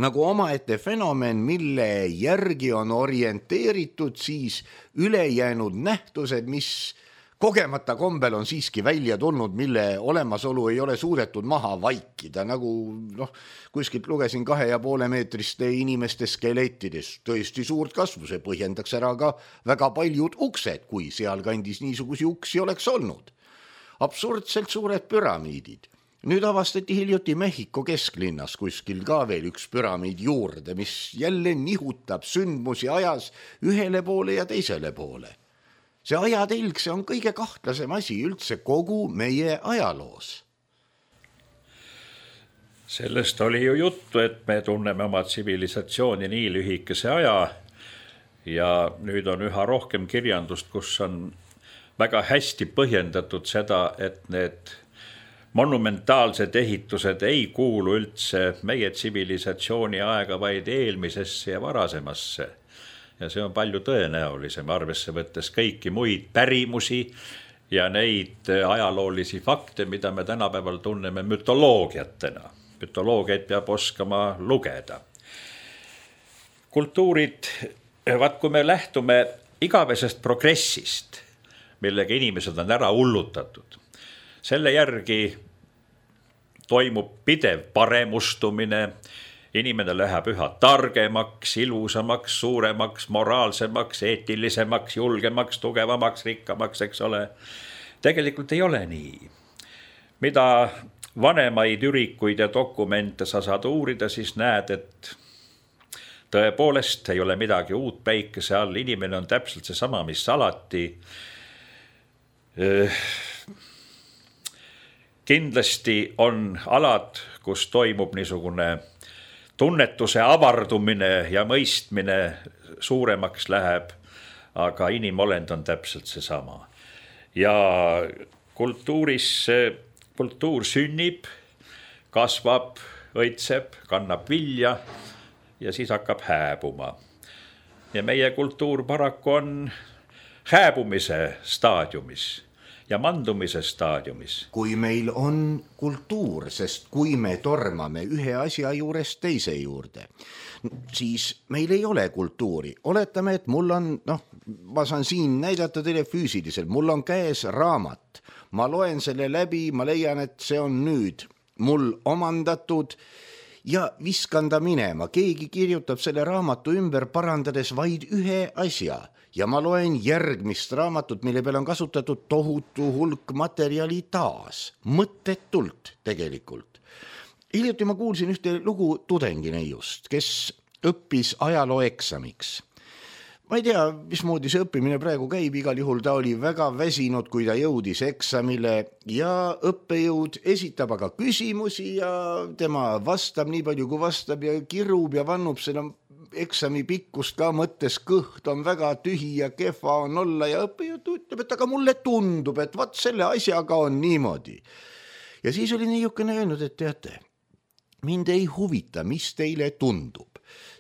nagu omaette fenomen, mille järgi on orienteeritud siis ülejäänud nähtused, mis kogemata kombel on siiski välja tulnud, mille olemasolu ei ole suudetud maha vaikida, nagu noh, kuskilt lugesin kahe ja poole meetriste inimeste skelettides, tõesti suurt kasvu, see põhjendaks ära ka väga paljud uksed, kui seal kandis niisugusi uksi oleks olnud. Absurdselt suured püramiidid. Nüüd avastati hiljuti Mehhiko kesklinnas kuskil ka veel üks püramiid juurde, mis jälle nihutab sündmusi ajas ühele poole ja teisele poole. See ajatelg, see on kõige kahtlasem asi üldse kogu meie ajaloos. Sellest oli ju juttu, et me tunneme oma tsivilisatsiooni nii lühikese aja ja nüüd on üha rohkem kirjandust, kus on väga hästi põhjendatud seda, et need monumentaalsed ehitused ei kuulu üldse meie tsivilisatsiooni aega, vaid eelmisesse ja varasemasse. Ja see on palju tõenäolisem, arvesse võttes kõiki muid pärimusi ja neid ajaloolisi fakte, mida me tänapäeval tunneme mütoloogiatena. Mütoloogiat peab oskama lugeda. Kultuurid, vaat kui me lähtume igavesest progressist, millega inimesed on ära hullutatud, selle järgi toimub pidev paremustumine, inimene läheb üha targemaks, ilusamaks, suuremaks, moraalsemaks, eetilisemaks, julgemaks, tugevamaks, rikkamaks, eks ole. Tegelikult ei ole nii. Mida vanemaid ürikuid ja dokumente sa saad uurida, siis näed, et tõepoolest ei ole midagi uut päikese all, inimene on täpselt see sama, mis alati. Kindlasti on alad, kus toimub niisugune tunnetuse avardumine ja mõistmine suuremaks läheb, aga inimolend on täpselt see sama. Ja kultuuris, kultuur sünnib, kasvab, õitseb, kannab vilja ja siis hakkab hääbuma. Ja meie kultuur paraku on hääbumise staadiumis ja mandumise staadiumis. Kui meil on kultuur, sest kui me tormame ühe asja juurest teise juurde, siis meil ei ole kultuuri. Oletame, et mul on, noh, ma saan siin näidata teile füüsiliselt, mul on käes raamat. Ma loen selle läbi, ma leian, et see on nüüd mul omandatud ja viskan ta minema. Keegi kirjutab selle raamatu ümber parandades vaid ühe asja. Ja ma loen järgmist raamatut, mille peal on kasutatud tohutu hulk materjali taas. Mõttetult tegelikult. Hiljuti ma kuulsin ühte lugu tudengineiust, kes õppis ajaloo eksamiks. Ma ei tea, mismoodi see õppimine praegu käib, igal juhul ta oli väga väsinud, kui ta jõudis eksamile ja õppejõud esitab aga küsimusi ja tema vastab nii palju, kui vastab ja kirub ja vannub seda eksami pikkust ka mõttes, kõht on väga tühi ja kehva on olla ja õppejõud ütleb, et aga mulle tundub, et vaat selle asjaga on niimoodi. Ja siis oli niisugune öelnud, et teate, mind ei huvita, mis teile tundub.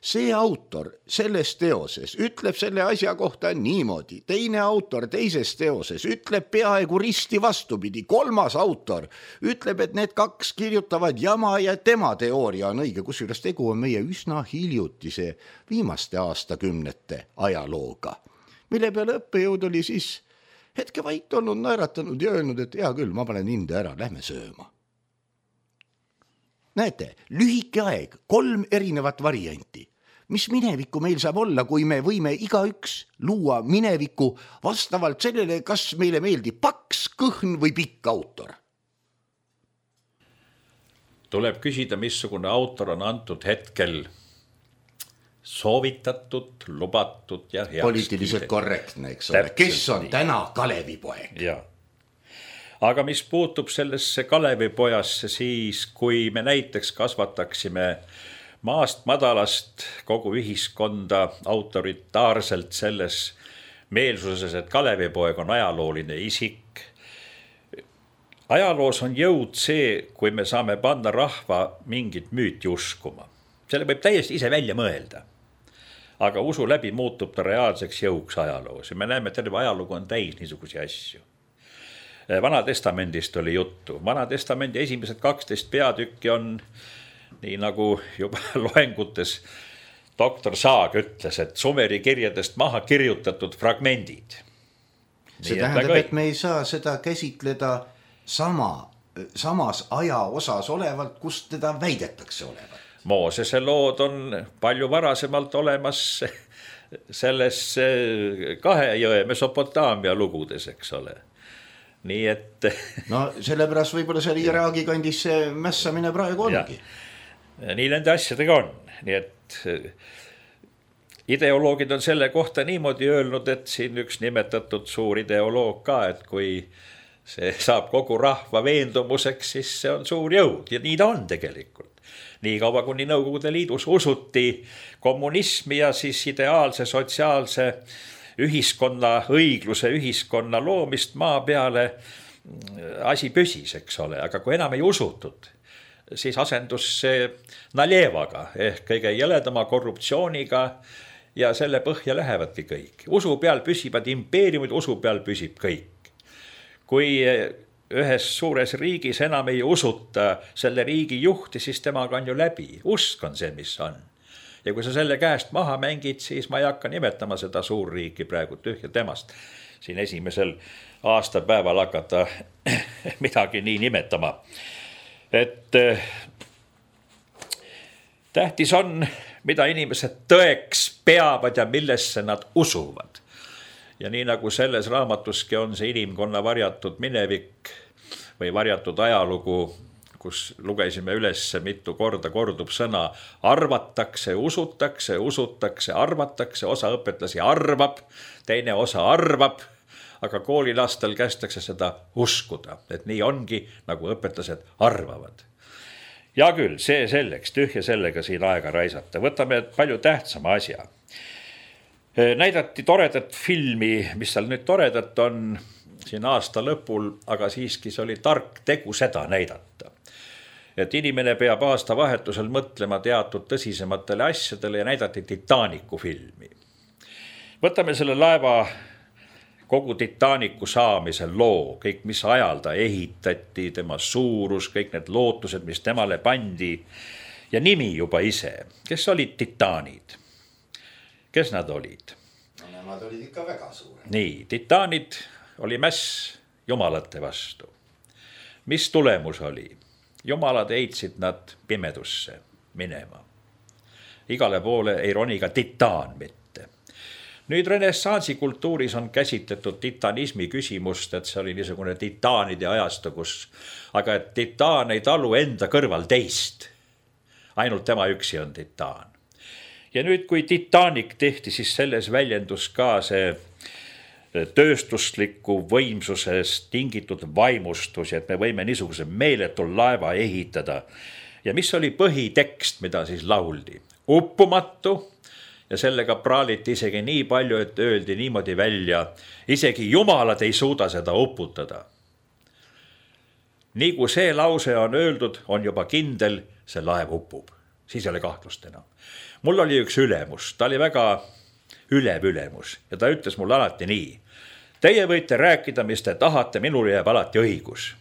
See autor selles teoses ütleb selle asja kohta niimoodi, teine autor teises teoses ütleb peaaegu risti vastupidi, kolmas autor ütleb, et need kaks kirjutavad jama ja tema teooria on õige, kusjuures tegu on meie üsna hiljutise viimaste aastakümnete ajalooga, mille peale õppejõud oli siis hetke vait olnud, naeratanud ja öelnud, et hea küll, ma panen hinde ära, lähme sööma. Näete, lühike aeg, kolm erinevat varianti. Mis minevikku meil saab olla, kui me võime igaüks luua minevikku vastavalt sellele, kas meile meeldib paks, kõhn või pikk autor? Tuleb küsida, missugune autor on antud hetkel soovitatud, lubatud ja heaks. Poliitiliselt korrektne, eks ole. Kes on täna Kalevipoeg? Jaa. Aga mis puutub sellesse Kalevipojasse, siis kui me näiteks kasvataksime maast madalast kogu ühiskonda autoritaarselt selles meelsuses, et Kalevipoeg on ajalooline isik. Ajaloos on jõud see, kui me saame panna rahva mingit müüti uskuma. Selle võib täiesti ise välja mõelda. Aga usu läbi muutub ta reaalseks jõuks ajaloos. Ja me näeme, et terve ajalugu on täis niisugusi asju. Vanatestamendist oli juttu. Vanatestamendi esimesed kaksteist peatükki on, nii nagu juba loengutes doktor Saag ütles, et Sumeri kirjadest maha kirjutatud fragmendid. See tähendab, et me ei saa seda käsitleda sama, samas aja osas olevalt, kus teda väidetakse olevat. Moosese lood on palju varasemalt olemas selles kahe jõe Mesopotaamia lugudes, eks ole. Nii et... No sellepärast võib-olla seal Iraagi kandis see mässamine praegu ongi. Ja, nii nende asjadega on. Nii et ideoloogid on selle kohta niimoodi öelnud, et siin üks nimetatud suur ideoloog ka, et kui see saab kogu rahva veendumuseks, siis see on suur jõud. Ja nii ta on tegelikult. Nii kaua kuni Nõukogude Liidus usuti kommunismi ja siis ideaalse sotsiaalse ühiskonna, õigluse ühiskonna loomist maa peale asi püsis, eks ole. Aga kui enam ei usutud, siis asendus see Naljevaga ehk kõige jõledama korruptsiooniga ja selle põhja lähevadki kõik. Usu peal püsivad impeeriumid, usu peal püsib kõik. Kui ühes suures riigis enam ei usuta selle riigi juhti, siis temaga on ju läbi. Usk on see, mis on. Ja kui sa selle käest maha mängid, siis ma ei hakka nimetama seda suurriiki praegu tühja temast. Siin esimesel aastapäeval hakata midagi nii nimetama. Et tähtis on, mida inimesed tõeks peavad ja millesse nad usuvad. Ja nii nagu selles raamatuski on see inimkonna varjatud minevik või varjatud ajalugu, kus lugesime üles mitu korda kordub sõna arvatakse, usutakse, usutakse, arvatakse, osa õpetlasi arvab, teine osa arvab, aga koolilastel kästakse seda uskuda, et nii ongi, nagu õpetlased arvavad. Ja küll, see selleks, tühja sellega siin aega raisata. Võtame palju tähtsama asja. Näidati toredat filmi, mis seal nüüd toredat on siin aasta lõpul, aga siiski see oli tark tegu seda näidata. Et inimene peab aasta vahetusel mõtlema teatud tõsisematele asjadele ja näidati Titanicu filmi. Võtame selle laeva kogu Titanicu saamise loo, kõik mis ajal ta ehitati, tema suurus, kõik need lootused, mis temale pandi ja nimi juba ise. Kes olid titaanid? Kes nad olid? No, nemad olid ikka väga suured. Nii, titaanid oli mäss jumalate vastu. Mis tulemus oli? Jumalad heitsid nad pimedusse minema. Igale poole ei roni ka titaan mitte. Nüüd renessansi kultuuris on käsitletud titanismi küsimust, et see oli niisugune titaanide ajastu, kus, aga et titaan ei talu enda kõrval teist. Ainult tema üksi on titaan. Ja nüüd, kui Titanic tehti, siis selles väljendus ka see tööstusliku võimsusest tingitud vaimustus, et me võime niisuguse meeletul laeva ehitada. Ja mis oli põhitekst, mida siis lauldi? Uppumatu ja sellega praaliti isegi nii palju, et öeldi niimoodi välja, isegi jumalad ei suuda seda uputada. Nii kui see lause on öeldud, on juba kindel, see laev upub. Siis ei ole kahtlust enam. Mul oli üks ülemus, ta oli väga ülev ülemus ja ta ütles mulle alati nii. Teie võite rääkida, mis te tahate, minul jääb alati õigus.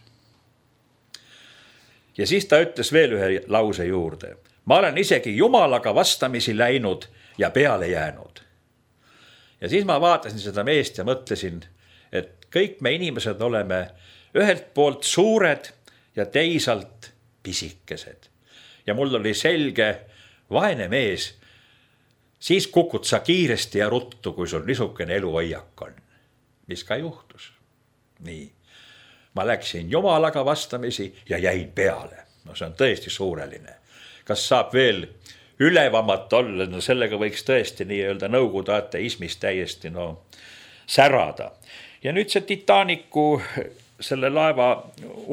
Ja siis ta ütles veel ühe lause juurde. Ma olen isegi jumalaga vastamisi läinud ja peale jäänud. Ja siis ma vaatasin seda meest ja mõtlesin, et kõik me inimesed oleme ühelt poolt suured ja teisalt pisikesed. Ja mul oli selge, vaene mees, siis kukud sa kiiresti ja ruttu, kui sul niisugune eluhoiak on. Mis ka juhtus. Nii. Ma läksin jumalaga vastamisi ja jäin peale. No see on tõesti suureline. Kas saab veel ülevamat olla? No sellega võiks tõesti nii öelda nõukogude ateismis täiesti no, särada. Ja nüüd see Titanicu selle laeva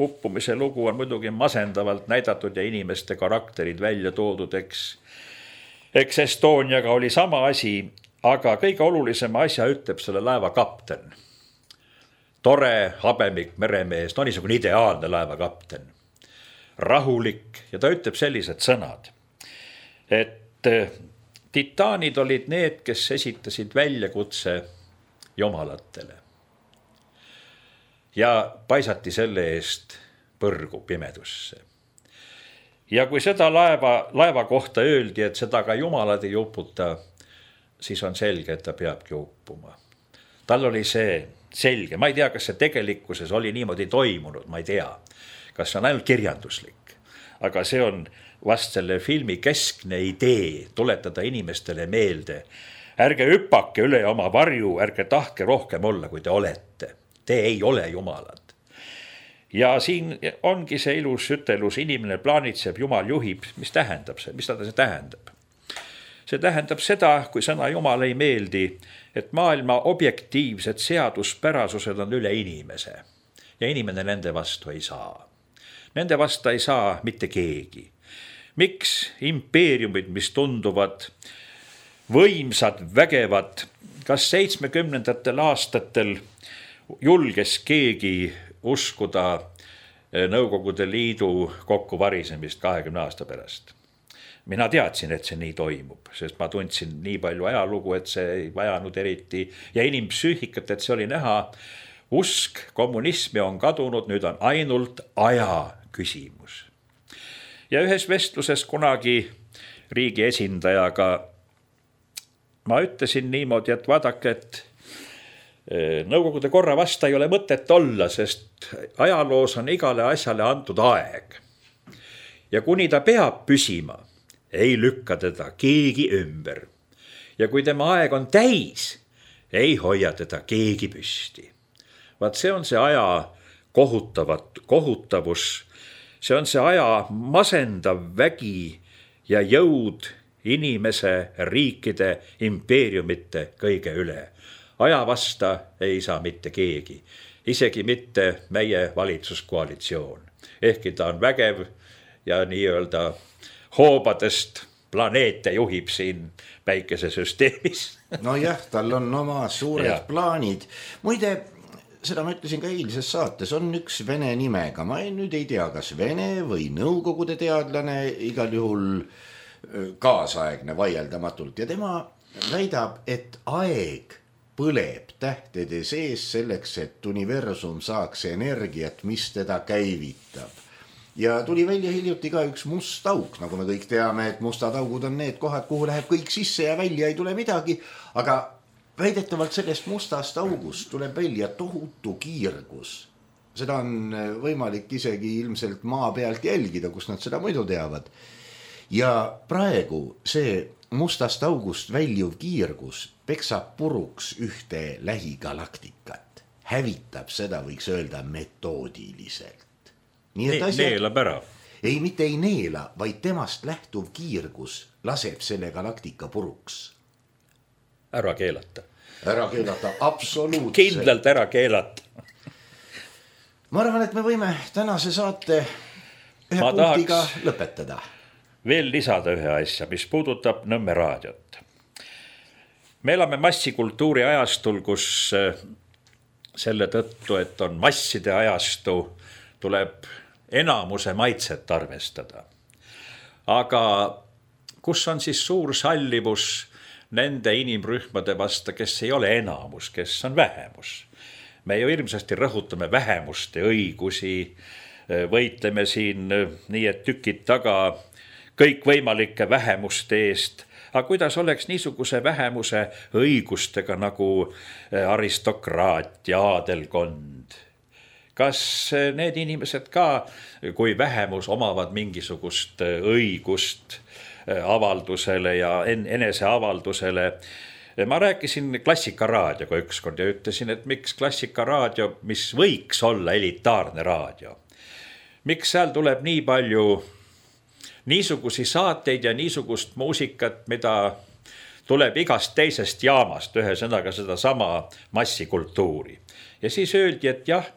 uppumise lugu on muidugi masendavalt näidatud ja inimeste karakterid välja toodud, eks. Eks Estoniaga oli sama asi, aga kõige olulisema asja ütleb selle laeva kapten. Tore, habemik, meremees, no niisugune ideaalne laeva kapten. Rahulik ja ta ütleb sellised sõnad, et titaanid olid need, kes esitasid väljakutse jumalatele. Ja paisati selle eest põrgu pimedusse. Ja kui seda laeva, laeva kohta öeldi, et seda ka jumalad ei uputa, siis on selge, et ta peabki uppuma. Tal oli see selge, ma ei tea, kas see tegelikkuses oli niimoodi toimunud, ma ei tea, kas see on ainult kirjanduslik, aga see on vast selle filmi keskne idee tuletada inimestele meelde. Ärge hüppake üle oma varju, ärge tahke rohkem olla, kui te olete. Te ei ole jumalad. Ja siin ongi see ilus ütelus, inimene plaanitseb, jumal juhib. Mis tähendab see? Mis ta see tähendab? See tähendab seda, kui sõna jumal ei meeldi, et maailma objektiivsed seaduspärasused on üle inimese ja inimene nende vastu ei saa. Nende vastu ei saa mitte keegi. Miks impeeriumid, mis tunduvad võimsad, vägevad, kas seitsmekümnendatel aastatel julges keegi uskuda Nõukogude Liidu kokkuvarisemist kahekümne aasta pärast. Mina teadsin, et see nii toimub, sest ma tundsin nii palju ajalugu, et see ei vajanud eriti ja inimpsüühikat, et see oli näha. Usk kommunismi on kadunud, nüüd on ainult aja küsimus. Ja ühes vestluses kunagi riigi esindajaga ma ütlesin niimoodi, et vaadake, et Nõukogude korra vasta ei ole mõtet olla, sest ajaloos on igale asjale antud aeg. Ja kuni ta peab püsima, ei lükka teda keegi ümber. Ja kui tema aeg on täis, ei hoia teda keegi püsti. Vaat see on see aja kohutavat, kohutavus, see on see aja masendav vägi ja jõud inimese, riikide, impeeriumite kõige üle. Aja vasta ei saa mitte keegi, isegi mitte meie valitsuskoalitsioon. Ehkki ta on vägev ja nii-öelda hoobadest planeete juhib siin päikesesüsteemis. No jah, tal on oma suured ja. plaanid. Muide, seda ma ütlesin ka eilses saates, on üks vene nimega. Ma nüüd ei tea, kas vene või nõukogude teadlane, igal juhul kaasaegne vaieldamatult. Ja tema väidab, et aeg põleb tähtede sees selleks, et universum saaks energiat, mis teda käivitab. Ja tuli välja hiljuti ka üks must auk, nagu me kõik teame, et mustad augud on need kohad, kuhu läheb kõik sisse ja välja ei tule midagi, aga väidetavalt sellest mustast august tuleb välja tohutu kiirgus. Seda on võimalik isegi ilmselt maa pealt jälgida, kus nad seda muidu teavad. Ja praegu see mustast august väljuv kiirgus peksab puruks ühte lähigalaktikat. Hävitab seda, võiks öelda, metoodiliselt. Nii et asjad, neelab ära. Ei, mitte ei neela, vaid temast lähtuv kiirgus laseb selle galaktika puruks. Ära keelata. Ära keelata, absoluutselt. Kindlalt ära keelata. Ma arvan, et me võime tänase saate ühe ma punktiga lõpetada. Veel lisada ühe asja, mis puudutab Nõmme raadiot. Me elame massikultuuri ajastul, kus selle tõttu, et on masside ajastu, tuleb enamuse maitset arvestada. Aga kus on siis suur sallivus nende inimrühmade vasta, kes ei ole enamus, kes on vähemus. Me ju hirmsasti rõhutame vähemuste õigusi, võitleme siin nii, et tükid taga kõikvõimalike vähemuste eest. Aga kuidas oleks niisuguse vähemuse õigustega nagu aristokraat ja aadelkond? Kas need inimesed ka, kui vähemus omavad mingisugust õigust avaldusele ja eneseavaldusele? Ma rääkisin Klassikaraadioga ükskord ja ütlesin, et miks Klassikaraadio, mis võiks olla elitaarne raadio, miks seal tuleb nii palju niisugusi saateid ja niisugust muusikat, mida tuleb igast teisest jaamast, ühesõnaga seda sama massikultuuri. Ja siis öeldi, et jah,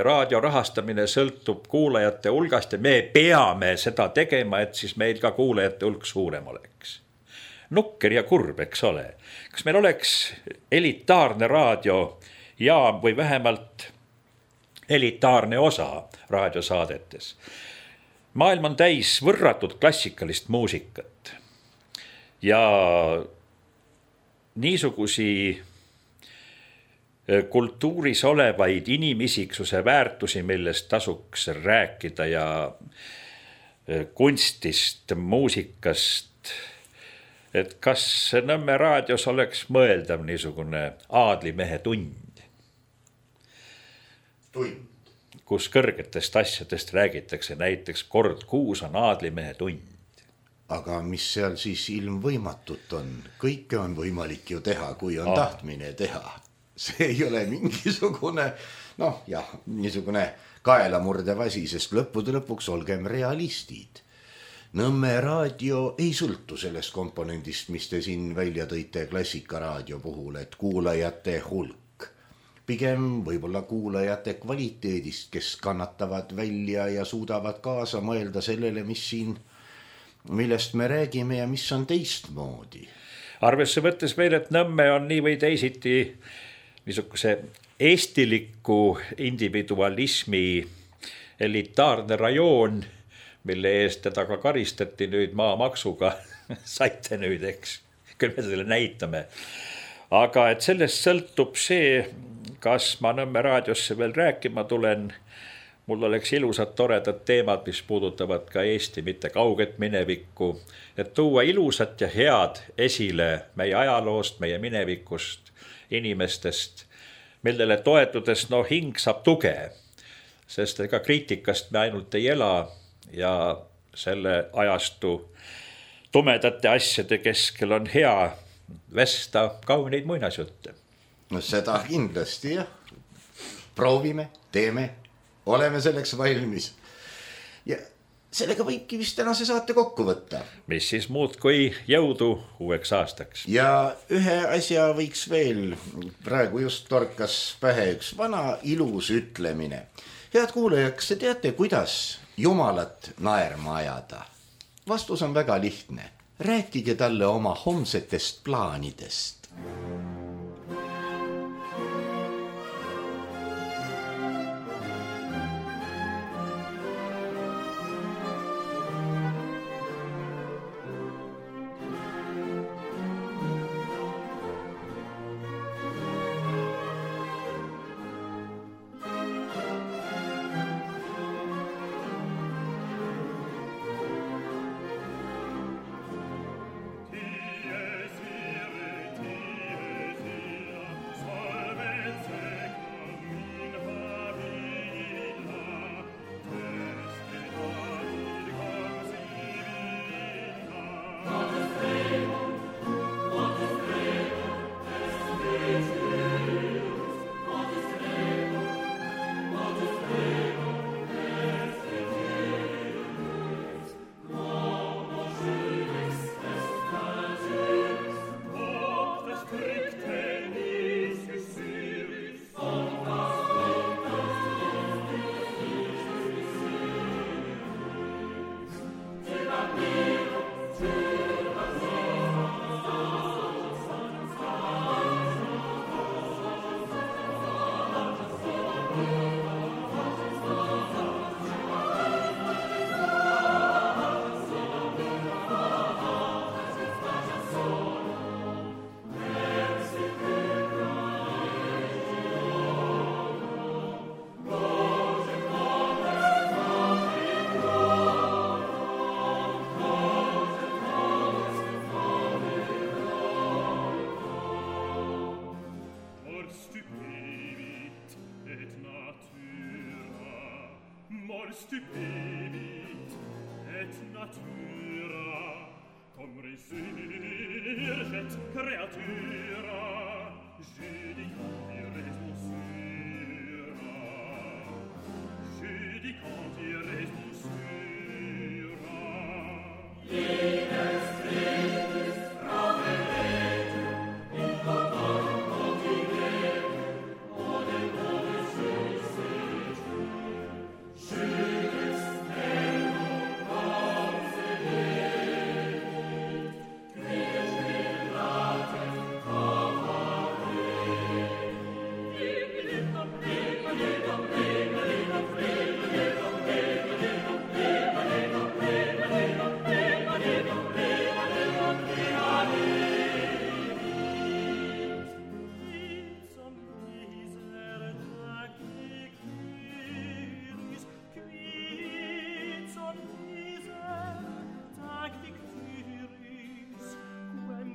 raadio rahastamine sõltub kuulajate hulgast ja me peame seda tegema, et siis meil ka kuulajate hulk suurem oleks. Nukker ja kurb, eks ole. Kas meil oleks elitaarne raadiojaam või vähemalt elitaarne osa raadiosaadetes? Maailm on täis võrratud klassikalist muusikat ja niisugusi kultuuris olevaid inimisiksuse väärtusi, millest tasuks rääkida ja kunstist, muusikast, et kas Nõmme raadios oleks mõeldav niisugune aadlimehe tund? Tund. Kus kõrgetest asjadest räägitakse, näiteks kord kuus on aadlimehe tund. Aga mis seal siis ilmvõimatut on? Kõike on võimalik ju teha, kui on ah. tahtmine teha. See ei ole mingisugune, noh jah, niisugune kaelamurdev asi, sest lõppude lõpuks olgem realistid. Nõmme raadio ei sõltu sellest komponendist, mis te siin välja tõite Klassikaraadio puhul, et kuulajate hulk. Pigem võib-olla kuulajate kvaliteedist, kes kannatavad välja ja suudavad kaasa mõelda sellele, mis siin, millest me räägime ja mis on teistmoodi. Arvesse võttes veel, et Nõmme on nii või teisiti niisuguse eestiliku individualismi elitaarne rajoon, mille eest teda ka karistati nüüd maamaksuga, saite nüüd, eks, küll me selle näitame. Aga et sellest sõltub see, kas ma Nõmme raadiosse veel rääkima tulen, mul oleks ilusad toredad teemad, mis puudutavad ka Eesti mitte kauget minevikku, et tuua ilusat ja head esile meie ajaloost, meie minevikust, inimestest, millele toetudes no hing saab tuge, sest ega kriitikast me ainult ei ela ja selle ajastu tumedate asjade keskel on hea vesta kauneid muinasjutte. No seda kindlasti jah. Proovime, teeme, oleme selleks valmis. ja sellega võibki vist tänase saate kokku võtta. Mis siis muud kui jõudu uueks aastaks. Ja ühe asja võiks veel, praegu just torkas pähe üks vana ilus ütlemine. Head kuulajad, kas te teate, kuidas Jumalat naerma ajada? Vastus on väga lihtne. Rääkige talle oma homsetest plaanidest. Stupevit et natura cum resurget creatura judicanti res monsura judicanti res monsura Lides tritis proveretur in totalum continetur odem nobis judicis Judicis tenum concedet quid villatet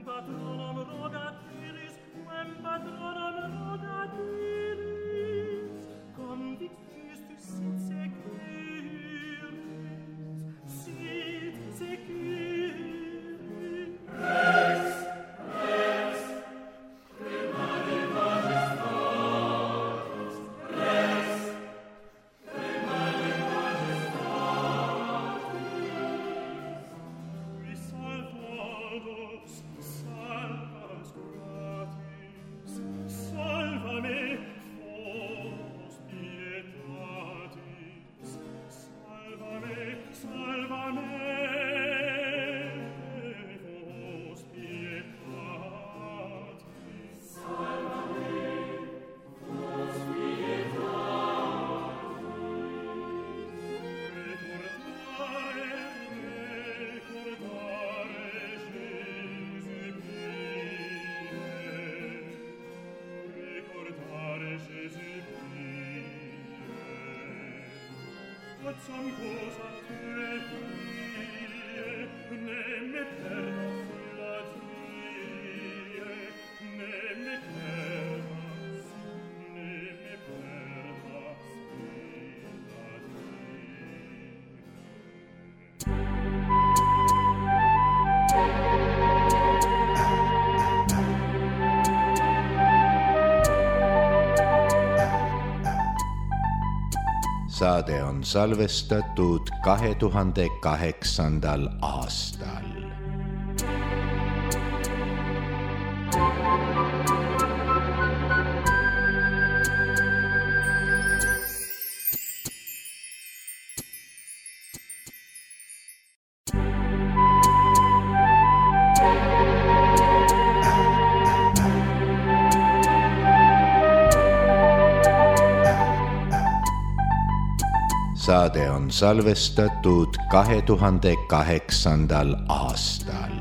Patronum rogatiris, quem patronum rogatiris, convictus tu sit securis, sit securis. Res, res, primari majestatis, res, primari majestatis, qui salvados, salvas gratis, salva me, fos pietatis, salva me, salva me, fos pietatis, salva me, fos pietatis, recordare, recordare Facciam cosa te vie, ne me perdas la die, ne me perdas, ne me perdas la Saade on salvestatud kahe tuhande kaheksandal aastal. Saade on salvestatud kahe tuhande kaheksandal aastal.